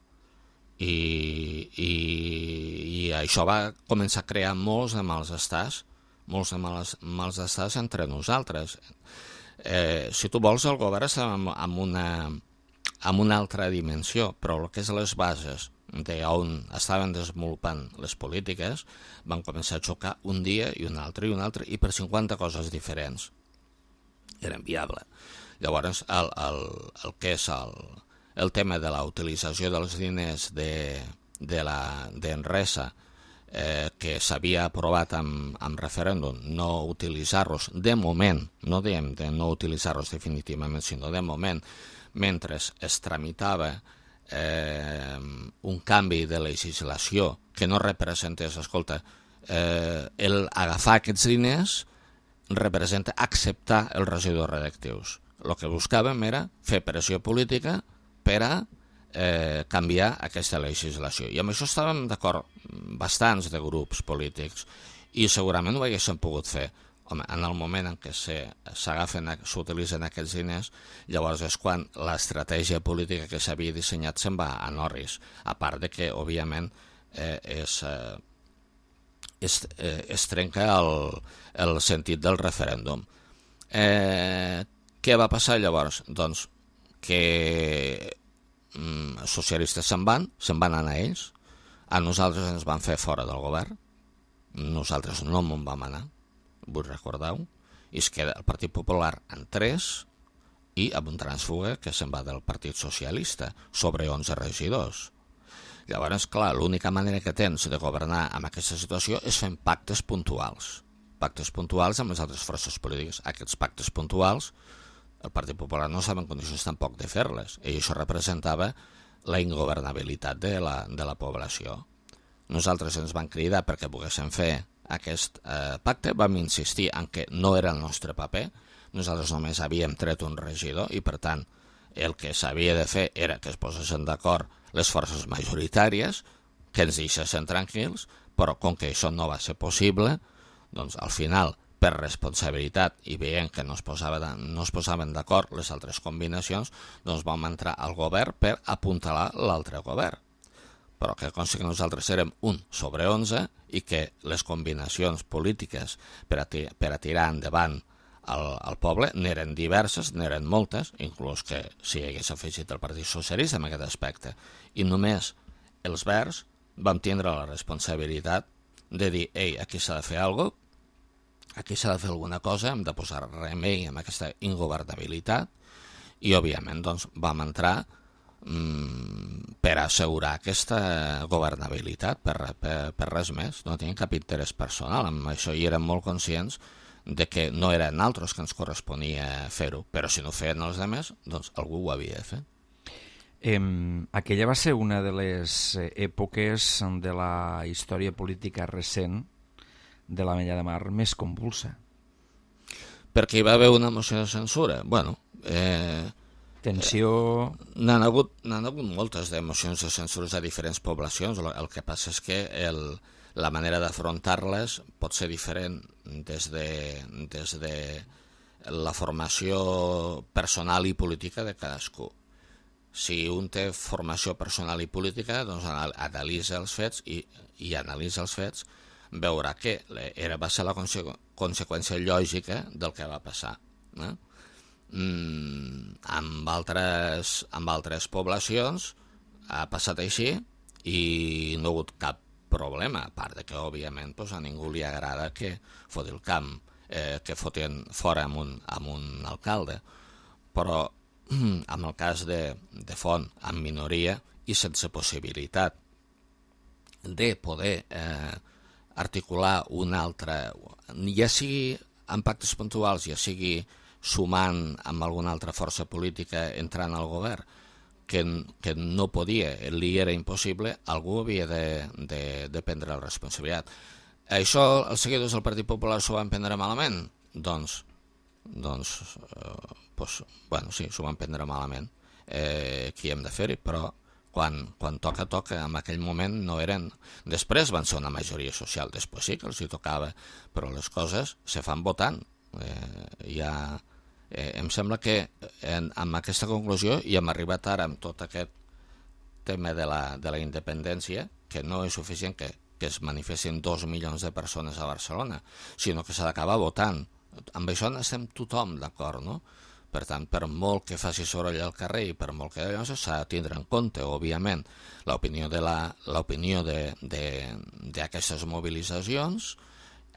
i, i, i això va començar a crear molts de mals estats, molts de mals, mals estats entre nosaltres. Eh, si tu vols, el govern està en, en, una, en una altra dimensió, però el que és les bases d'on estaven desenvolupant les polítiques van començar a xocar un dia i un altre i un altre i per cinquanta coses diferents. Era inviable. Llavors, el, el, el que és el, el tema de la utilització dels diners de, de la d'Enresa, eh, que s'havia aprovat amb, amb referèndum, no utilitzar-los de moment, no diem de no utilitzar-los definitivament, sinó de moment, mentre es tramitava Eh, un canvi de legislació que no representés, escolta, eh, el agafar aquests diners representa acceptar els residus radioactius. El que buscàvem era fer pressió política per a eh, canviar aquesta legislació. I amb això estàvem d'acord bastants de grups polítics i segurament ho haguéssim pogut fer. Home, en el moment en què s'agafen, s'utilitzen aquests diners, llavors és quan l'estratègia política que s'havia dissenyat se'n va a Norris, a part de que, òbviament, eh, és, eh, es, eh, es trenca el, el sentit del referèndum. Eh, què va passar llavors? Doncs que mm, socialistes se'n van, se'n van anar ells, a nosaltres ens van fer fora del govern, nosaltres no me'n vam anar, vull recordar-ho, i es queda el Partit Popular en tres i amb un trànsfuga que se'n va del Partit Socialista sobre onze regidors. Llavors, clar, l'única manera que tens de governar amb aquesta situació és fent pactes puntuals. Pactes puntuals amb les altres forces polítiques. Aquests pactes puntuals, el Partit Popular no estava en condicions tampoc de fer-les, i això representava la ingovernabilitat de la, de la població. Nosaltres ens van cridar perquè poguéssim fer aquest eh, pacte, vam insistir en que no era el nostre paper, nosaltres només havíem tret un regidor i per tant el que s'havia de fer era que es posessin d'acord les forces majoritàries, que ens deixessin tranquils, però com que això no va ser possible, doncs al final, per responsabilitat i veient que no es, posava, no es posaven d'acord les altres combinacions, doncs vam entrar al govern per apuntalar l'altre govern. Però que consta que nosaltres érem un sobre onze i que les combinacions polítiques per a, per a tirar endavant el, el poble n'eren diverses, n'eren moltes, inclús que s'hi hagués afegit el Partit Socialista en aquest aspecte. I només els verds vam tindre la responsabilitat de dir, ei, aquí s'ha de fer alguna cosa, aquí s'ha de fer alguna cosa, hem de posar remei amb aquesta ingovernabilitat i, òbviament, doncs, vam entrar per assegurar aquesta governabilitat, per, per, per res més. No tenien cap interès personal amb això i érem molt conscients de que no eren altres que ens corresponia fer-ho, però si no feien els altres, doncs algú ho havia de fer. Eh, aquella va ser una de les èpoques de la història política recent de l'Ametlla de Mar més convulsa. Perquè hi va haver una moció de censura. Bueno, eh... tensió... N'han hagut, n'han hagut moltes de mocions de censures a diferents poblacions. El que passa és que el, la manera d'afrontar-les pot ser diferent des de, des de la formació personal i política de cadascú. Si un té formació personal i política, doncs analitza els fets i, i analitza els fets, veurà que era, va ser la conse conseqüència lògica del que va passar. Eh? Mm, amb, altres, amb altres poblacions ha passat així i no ha hagut cap problema, a part de que òbviament pues, a ningú li agrada que foti el camp, eh, que fotin fora amb un, amb un alcalde, però mm, en el cas de, de Font en minoria i sense possibilitat de poder eh, articular una altra, ja sigui en pactes puntuals, ja sigui sumant amb alguna altra força política entrant al govern, que, que no podia, li era impossible, algú havia de, de, de prendre la responsabilitat. Això els seguidors del Partit Popular s'ho van prendre malament? Doncs, doncs eh, pues, bueno, sí, s'ho van prendre malament. Eh, qui hem de fer-hi? Però quan, quan toca, toca. En aquell moment no eren... Després van ser una majoria social, després sí que els hi tocava, però les coses se fan votant. Eh, ja... Eh, em sembla que en, amb aquesta conclusió i hem arribat ara amb tot aquest tema de la, de la independència, que no és suficient que, que es manifestin dos milions de persones a Barcelona, sinó que s'ha d'acabar votant. Amb això estem tothom d'acord, no? Per tant, per molt que faci soroll al carrer i per molt que s'ha de tindre en compte, òbviament, l'opinió de la, l'opinió de, de, d'aquestes mobilitzacions,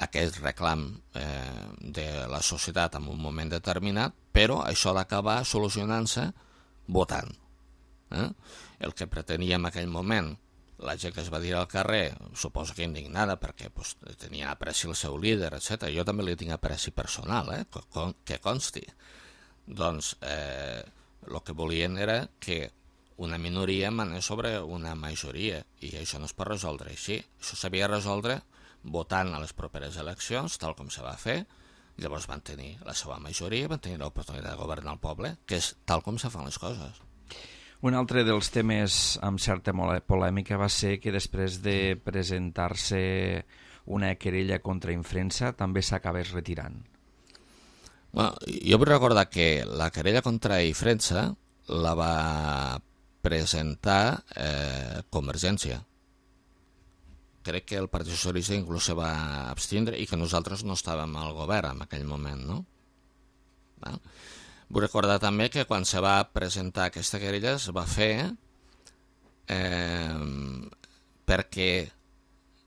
aquest reclam eh, de la societat en un moment determinat, però això ha d'acabar solucionant-se votant. Eh? El que pretenia en aquell moment la gent que es va dir al carrer, suposo que indignada perquè pues, tenia apreci el seu líder, etcètera. Jo també li tinc apreci personal, eh? que consti. Doncs eh, el que volien era que una minoria manés sobre una majoria, i això no es pot resoldre així. Això s'havia de resoldre votant a les properes eleccions, tal com se va fer. Llavors van tenir la seva majoria, van tenir l'oportunitat de governar el poble, que és tal com se fan les coses. Un altre dels temes amb certa polèmica va ser que després de presentar-se una querella contra Infrensa també s'acabés retirant. Bueno, jo vull recordar que la querella contra Infrensa la va presentar eh, Convergència. Crec que el Partit Socialista inclús se va abstindre i que nosaltres no estàvem al govern en aquell moment, no? Va? Vull recordar també que quan se va presentar aquesta querella es va fer eh, perquè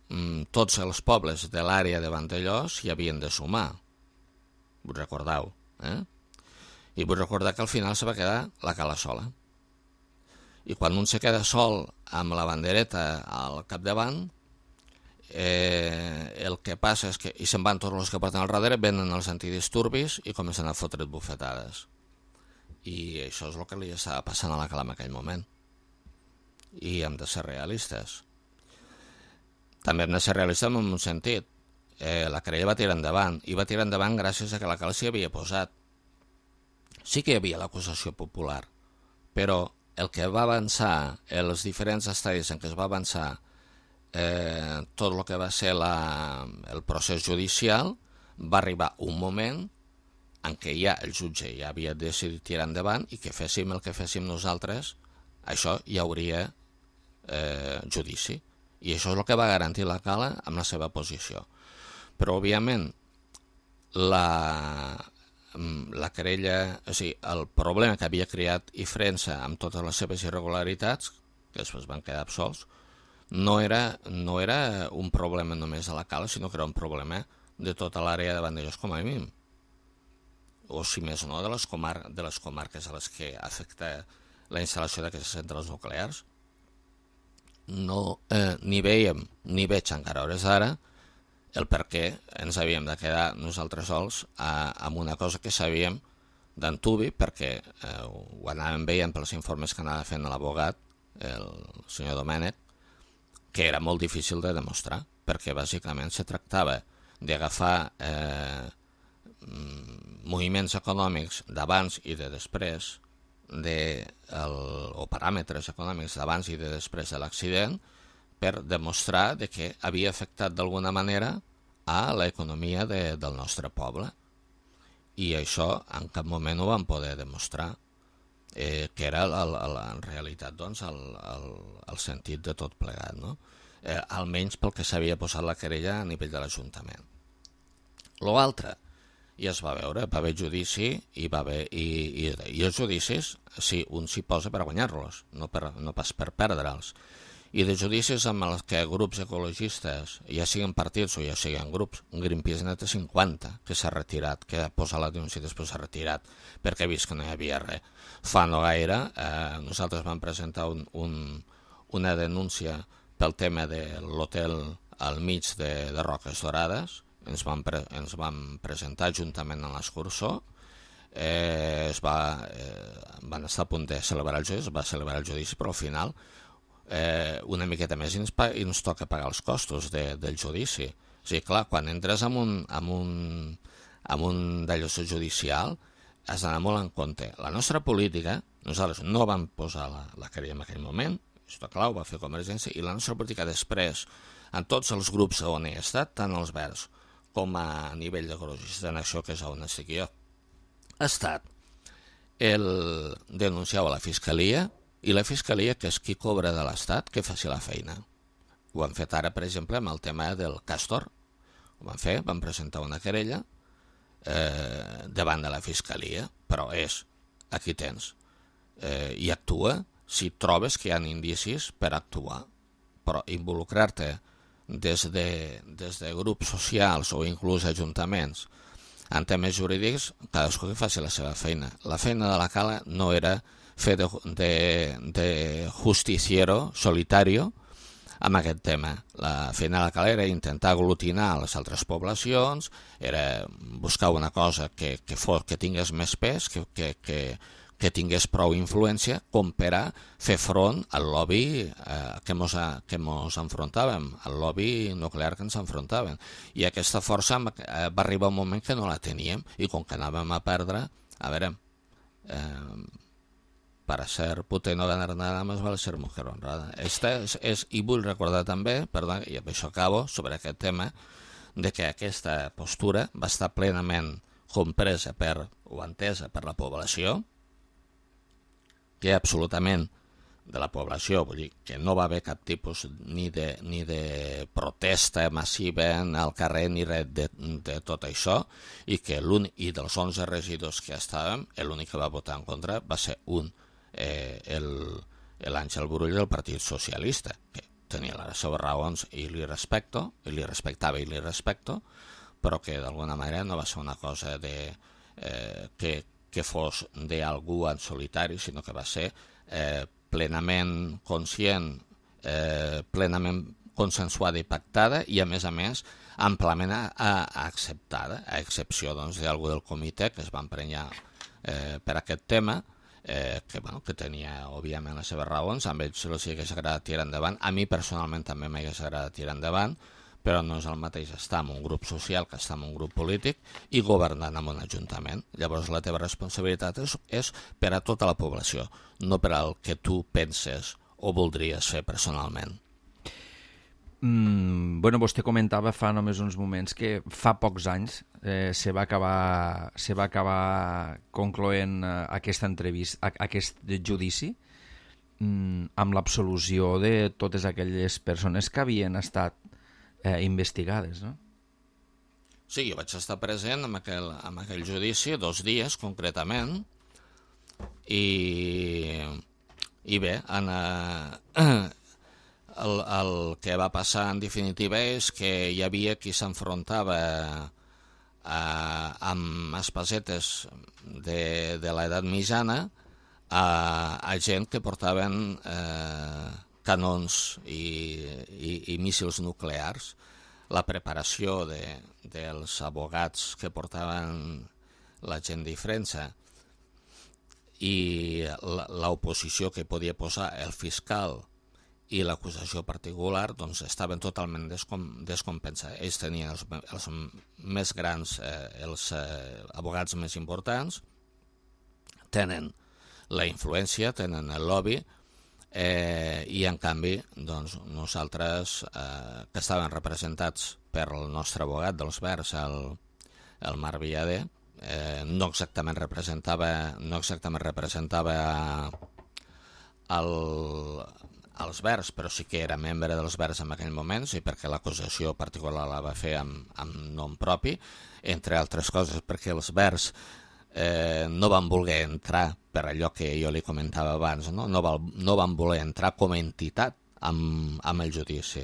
mm, tots els pobles de l'àrea de Vandellòs hi havien de sumar. Vull recordar-ho. Eh? I vull recordar que al final se va quedar la Cala sola. I quan un se queda sol amb la bandereta al capdavant, eh, el que passa és que i se'n van tots els que porten al darrere, venen els antidisturbis i comencen a fotre't bufetades. I això és el que li estava passant a la Cala en aquell moment. I hem de ser realistes. També hem de ser realistes en un sentit. Eh, la querella va tirar endavant, i va tirar endavant gràcies a que la Cala s'hi havia posat. Sí que hi havia l'acusació popular, però el que va avançar, els diferents estadis en què es va avançar eh, tot el que va ser la, el procés judicial, va arribar un moment en què ja el jutge ja havia decidit tirar endavant i que féssim el que féssim nosaltres, això hi hauria eh, judici. I això és el que va garantir la Cala amb la seva posició. Però, òbviament, la, la querella, o sigui, el problema que havia creat Infrensa amb totes les seves irregularitats, que després van quedar absolts, no era, no era un problema només de la Cala, sinó que era un problema de tota l'àrea de Vandellòs com a mínim. O, si més no, de les, comar de les comarques a les que afecta la instal·lació d'aquestes centrals nuclears. No, eh, ni veiem, ni veig encara hores d'ara, el per què ens havíem de quedar nosaltres sols a, amb una cosa que sabíem d'antubi, perquè eh, ho anàvem veient pels informes que anava fent l'abogat, el senyor Domènech, que era molt difícil de demostrar, perquè bàsicament se tractava d'agafar eh, moviments econòmics d'abans i de després, de el, o paràmetres econòmics d'abans i de després de l'accident, per demostrar de que havia afectat d'alguna manera a l'economia de, del nostre poble. I això en cap moment ho vam poder demostrar, eh, que era el, el, en realitat doncs, el, el, el sentit de tot plegat, no? Eh, almenys pel que s'havia posat la querella a nivell de l'Ajuntament. L'altre, ja es va veure, va haver judici i, va haver, i, i, i els judicis, sí, un s'hi posa per guanyar-los, no, per, no pas per perdre'ls. I de judicis amb els que grups ecologistes, ja siguin partits o ja siguin grups, Greenpeace n'ha té cinquanta, que s'ha retirat, que ha posat la denúncia i després s'ha retirat, perquè ha vist que no hi havia res. Fa no gaire, eh, nosaltres vam presentar un, un, una denúncia pel tema de l'hotel al mig de, de Roques Dorades, ens vam, pre, ens vam presentar juntament amb l'escursor, eh, es va, eh, van estar a punt de celebrar el judici, es va celebrar el judici, però al final eh, una miqueta més i ens, i ens toca pagar els costos de, del judici. O sigui, clar, quan entres en un, en un, en un d'allò judicial has d'anar molt en compte. La nostra política, nosaltres no vam posar la, la querella en aquell moment, això clar, ho va fer Convergència, i la nostra política després, en tots els grups on he estat, tant els Verds com a nivell d'ecologista en això que és on estic jo, ha estat el denunciar a la Fiscalia, i la Fiscalia, que és qui cobra de l'Estat, que faci la feina. Ho han fet ara, per exemple, amb el tema del Castor. Ho van fer, van presentar una querella eh, davant de la Fiscalia, però és, aquí tens, eh, i actua si trobes que hi ha indicis per actuar, però involucrar-te des de, des de grups socials o inclús ajuntaments en temes jurídics, cadascú que faci la seva feina. La feina de la Cala no era fer de, de, de justiciero solitario amb aquest tema. La feina de la Cala era intentar aglutinar les altres poblacions, era buscar una cosa que, que, fos, que tingués més pes, que, que, que, que tingués prou influència com per a fer front al lobby eh, que mos, a, que mos enfrontàvem, al lobby nuclear que ens enfrontàvem. I aquesta força eh, va arribar un moment que no la teníem, i com que anàvem a perdre, a veure, eh, para ser puta y no ganar nada más vale ser mujer honrada. Esta és, és, I vull recordar també, perdó, i amb això acabo, sobre aquest tema, de que aquesta postura va estar plenament compresa per, o entesa per la població, que absolutament de la població, vull dir que no va haver cap tipus ni de, ni de protesta massiva al carrer ni res de, de tot això, i que l'únic, i dels onze regidors que estàvem, l'únic que va votar en contra va ser un, eh, l'Àngel Brull del Partit Socialista, que tenia les seves raons i li respecto, i li respectava i li respecto, però que d'alguna manera no va ser una cosa de, eh, que que fos d'algú en solitari, sinó que va ser eh, plenament conscient, eh, plenament consensuada i pactada, i a més a més amplament a, a acceptada, a excepció doncs, d'algú del comitè que es va emprenyar eh, per aquest tema, eh, que, bueno, que tenia òbviament les seves raons, a ells els hagués agradat tirar endavant, a mi personalment també m'hagués agradat tirar endavant, però no és el mateix estar en un grup social que estar en un grup polític i governant en un ajuntament. Llavors la teva responsabilitat és, és per a tota la població, no per al que tu penses o voldries fer personalment. Mm, bueno, vostè comentava fa només uns moments que fa pocs anys eh, se va acabar, se va acabar concloent eh, aquesta entrevista, aquest judici mm, amb l'absolució de totes aquelles persones que havien estat Eh, investigades, no? Sí, jo vaig estar present en aquell, en aquell judici dos dies concretament, i, i bé, en, eh, el, el que va passar en definitiva és que hi havia qui s'enfrontava eh, amb espasetes de, de l'edat mitjana a, a gent que portaven eh, canons i, i, i míssils nuclears. La preparació de, dels abogats que portaven la gent de França i l'oposició que podia posar el fiscal i l'acusació particular, doncs estaven totalment descom descompensats. Ells tenien els, els més grans, eh, els eh, abogats més importants, tenen la influència, tenen el lobby, Eh, i en canvi doncs, nosaltres eh, que estàvem representats per el nostre abogat dels Verds, el, el Marc Villader, eh, no exactament representava no exactament representava el, els Verds, però sí que era membre dels Verds en aquell moment, i perquè l'acusació particular la va fer amb, amb nom propi, entre altres coses perquè els Verds Eh, no van voler entrar, per allò que jo li comentava abans, no, no, val, no van voler entrar com a entitat amb, amb el judici,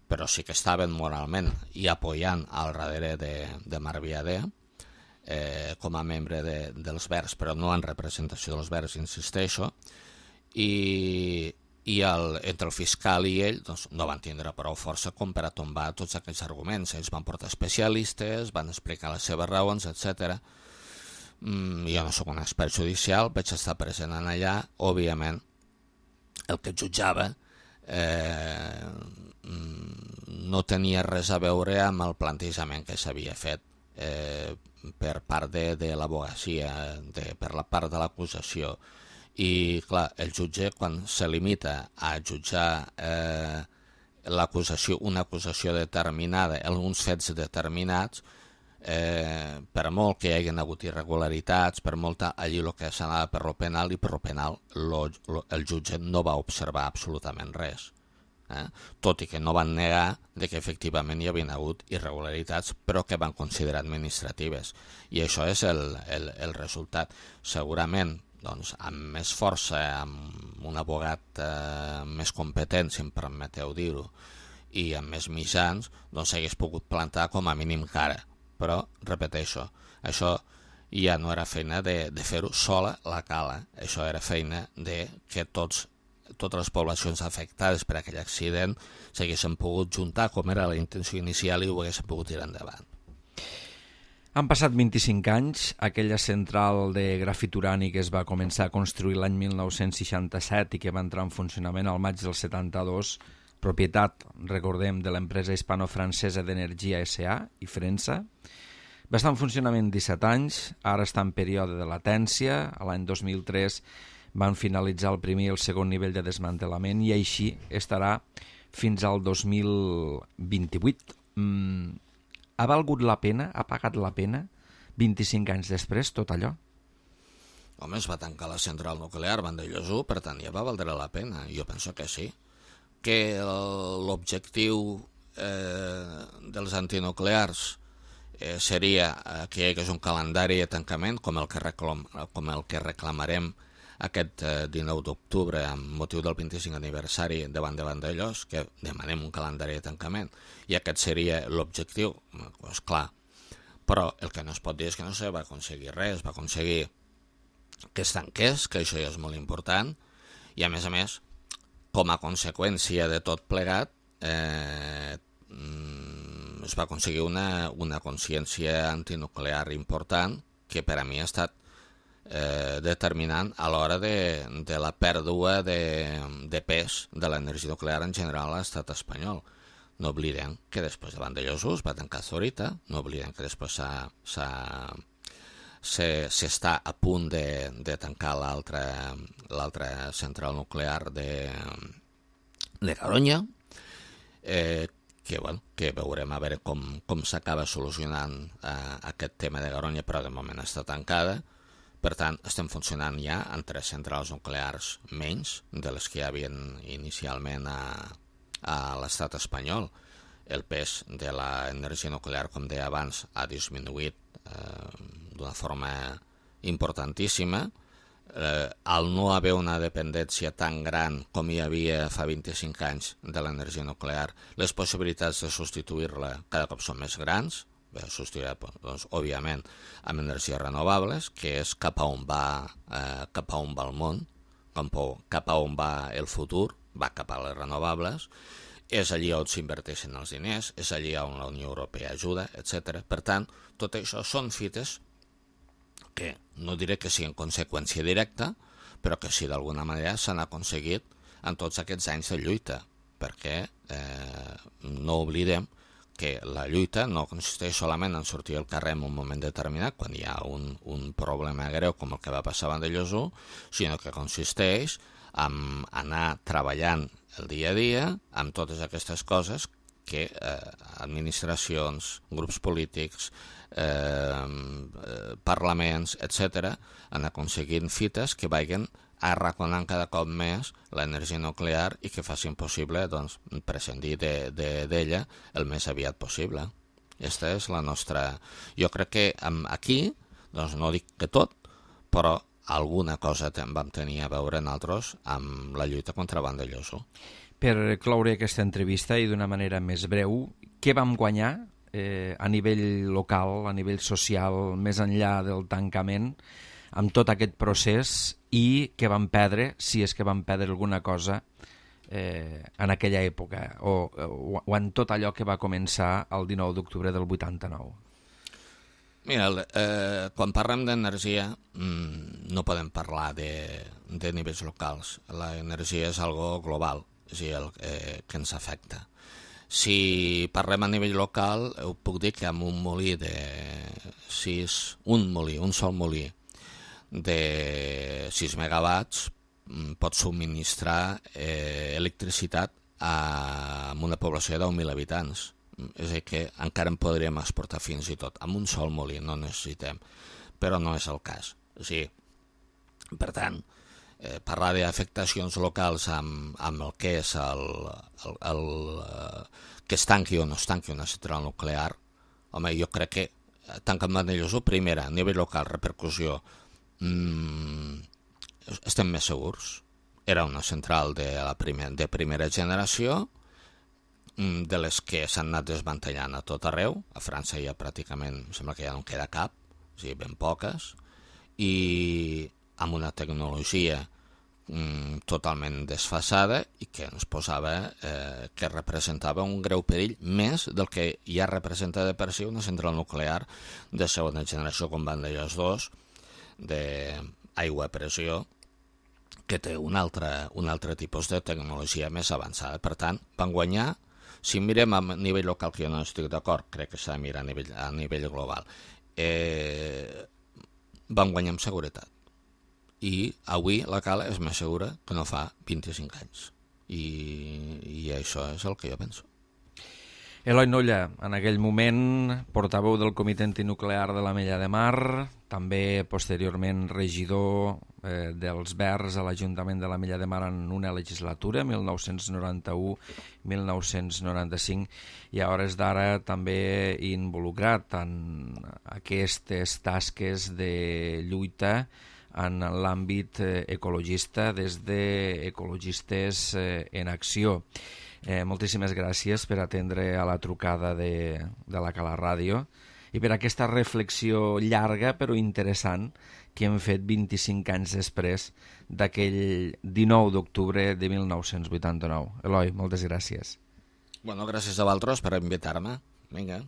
però sí que estaven moralment i apoyant al darrere de, de Marc Villader eh, com a membre de, dels Verds, però no en representació dels Verds, insisteixo, i, i el, entre el fiscal i ell doncs, no van tindre prou força com per a tombar tots aquests arguments. Ells van portar especialistes, van explicar les seves raons, etcètera. mm, jo no sóc un expert judicial, vaig estar present en allà, òbviament, el que jutjava eh, no tenia res a veure amb el plantejament que s'havia fet eh, per part de, de l'abogacia, per la part de l'acusació. I, clar, el jutge, quan se limita a jutjar eh, l'acusació, una acusació determinada, alguns fets determinats, eh, per molt que hi hagin hagut irregularitats, per molt allí el que s'anava per lo penal, i per lo penal lo, lo, el jutge no va observar absolutament res. Eh? Tot i que no van negar de que efectivament hi havia hagut irregularitats, però que van considerar administratives. I això és el, el, el resultat. Segurament, doncs, amb més força, amb un abogat eh, més competent, si em permeteu dir-ho, i amb més mitjans, doncs s'hagués pogut plantar com a mínim cara. Però, repeteixo, això ja no era feina de, de fer-ho sola la cala, això era feina de que tots, totes les poblacions afectades per aquell accident s'haguessin pogut juntar, com era la intenció inicial, i ho haguessin pogut tirar endavant. Han passat vint-i-cinc anys, aquella central de grafit urànic es va començar a construir l'any mil nou-cents seixanta-set i que va entrar en funcionament al maig del setanta-dos, propietat, recordem, de l'empresa hispano-francesa d'Energia S A i Frensa. Va estar en funcionament disset anys, ara està en període de latència, a l'any dos mil tres van finalitzar el primer i el segon nivell de desmantelament i així estarà fins al dos mil vint-i-vuit. Mm, ha valgut la pena, ha pagat la pena, vint-i-cinc anys després, tot allò? Home, es va tancar la central nuclear Vandellòs u, per tant ja va valdre la pena, jo penso que sí. Que l'objectiu eh, dels antinuclears eh, seria que hi hagués un calendari de tancament com el que, reclam, com el que reclamarem aquest eh, dinou d'octubre amb motiu del vint-i-cinc aniversari davant de Vandellòs, que demanem un calendari de tancament, i aquest seria l'objectiu, doncs clar, però el que no es pot dir és que no se va aconseguir res, es va aconseguir que es tanqués, que això ja és molt important, i a més a més, com a conseqüència de tot plegat, eh, es va aconseguir una, una consciència antinuclear important que per a mi ha estat eh, determinant a l'hora de, de la pèrdua de, de pes de l'energia nuclear en general a l'estat espanyol. No oblidem que després de Vandellòs u es va tancar Zorita, no oblidem que després s'està a punt de, de tancar l'altra central nuclear de, de Garoña, eh, que, bueno, que veurem a veure com, com s'acaba solucionant eh, aquest tema de Garoña, però de moment està tancada. Per tant, estem funcionant ja en tres centrals nuclears menys de les que hi havia inicialment a, a l'estat espanyol. El pes de l'energia nuclear, com deia abans, ha disminuït eh, d'una forma importantíssima. Eh, al no haver una dependència tan gran com hi havia fa vint-i-cinc anys de l'energia nuclear, les possibilitats de substituir-la cada cop són més grans, substituirà, doncs, òbviament, amb energies renovables, que és cap a on va, eh, cap a on va el món, cap a on va el futur, va cap a les renovables, és allí on s'inverteixen els diners, és allí on la Unió Europea ajuda, etcètera. Per tant, tot això són fites que no diré que siguin conseqüència directa, però que sí d'alguna manera s'han aconseguit en tots aquests anys de lluita, perquè eh, no oblidem que la lluita no consisteix solament en sortir al carrer en un moment determinat, quan hi ha un, un problema greu com el que va passar a Vandellòs u, sinó que consisteix en anar treballant el dia a dia amb totes aquestes coses que eh, administracions, grups polítics, eh, parlaments, etcètera, han aconseguit fites que vagin arraconant cada cop més l'energia nuclear i que facin possible, doncs, prescindir d'ella de, de, el més aviat possible. Aquesta és la nostra... Jo crec que aquí, doncs no dic que tot, però alguna cosa vam tenir a veure nosaltres amb la lluita contra Vandellòs u. Per cloure aquesta entrevista i d'una manera més breu, què vam guanyar eh, a nivell local, a nivell social, més enllà del tancament, amb tot aquest procés, i què vam perdre, si és que vam perdre alguna cosa eh, en aquella època, o, o, o en tot allò que va començar el dinou d'octubre del vuitanta-nou? Mira, eh, quan parlem d'energia mmm, no podem parlar de, de nivells locals. L'energia és algo global, és a dir, el eh, que ens afecta. Si parlem a nivell local, ho puc dir que amb un molí de sis, un molí, un sol molí de sis megawatts pot subministrar eh, electricitat a, a una població de deu mil habitants. És a dir, que encara en podríem exportar fins i tot. Amb un sol molí no necessitem, però no és el cas. És a dir, per tant, eh, parlar d'afectacions locals amb, amb el que és el, el, el, el que es tanqui o no es tanqui una central nuclear, home, jo crec que tant que Vandellòs, primera, a nivell local, repercussió, mmm, estem més segurs. Era una central de, la primer, de primera generació, de les que s'han anat desmantellant a tot arreu. A França ja pràcticament, sembla que ja no en queda cap, o sigui, ben poques, i amb una tecnologia mm, totalment desfasada i que ens posava, eh, que representava un greu perill més del que ja representa de per si una central nuclear de segona generació com Vandellòs dos, d'aigua a pressió, que té un altre, un altre tipus de tecnologia més avançada. Per tant, van guanyar. Si mirem a nivell local, que jo no estic d'acord, crec que s'ha de mirar a nivell, a nivell global, eh, van guanyar amb seguretat. I avui la cala és més segura que no fa vint-i-cinc anys. I, i això és el que jo penso. Eloi Nolla, en aquell moment portaveu del Comitè Antinuclear de l'Ametlla de Mar, també posteriorment regidor eh, dels Verds a l'Ajuntament de l'Ametlla de Mar en una legislatura, mil nou-cents noranta-u a mil nou-cents noranta-cinc, i a hores d'ara també involucrat en aquestes tasques de lluita en l'àmbit ecologista des d'Ecologistes en Acció. Eh, moltíssimes gràcies per atendre a la trucada de, de la Cala Ràdio i per aquesta reflexió llarga però interessant que hem fet vint-i-cinc anys després d'aquell dinou d'octubre de mil nou-cents vuitanta-nou. Eloi, moltes gràcies. Bueno, gràcies a vosaltres per invitar-me. Vinga.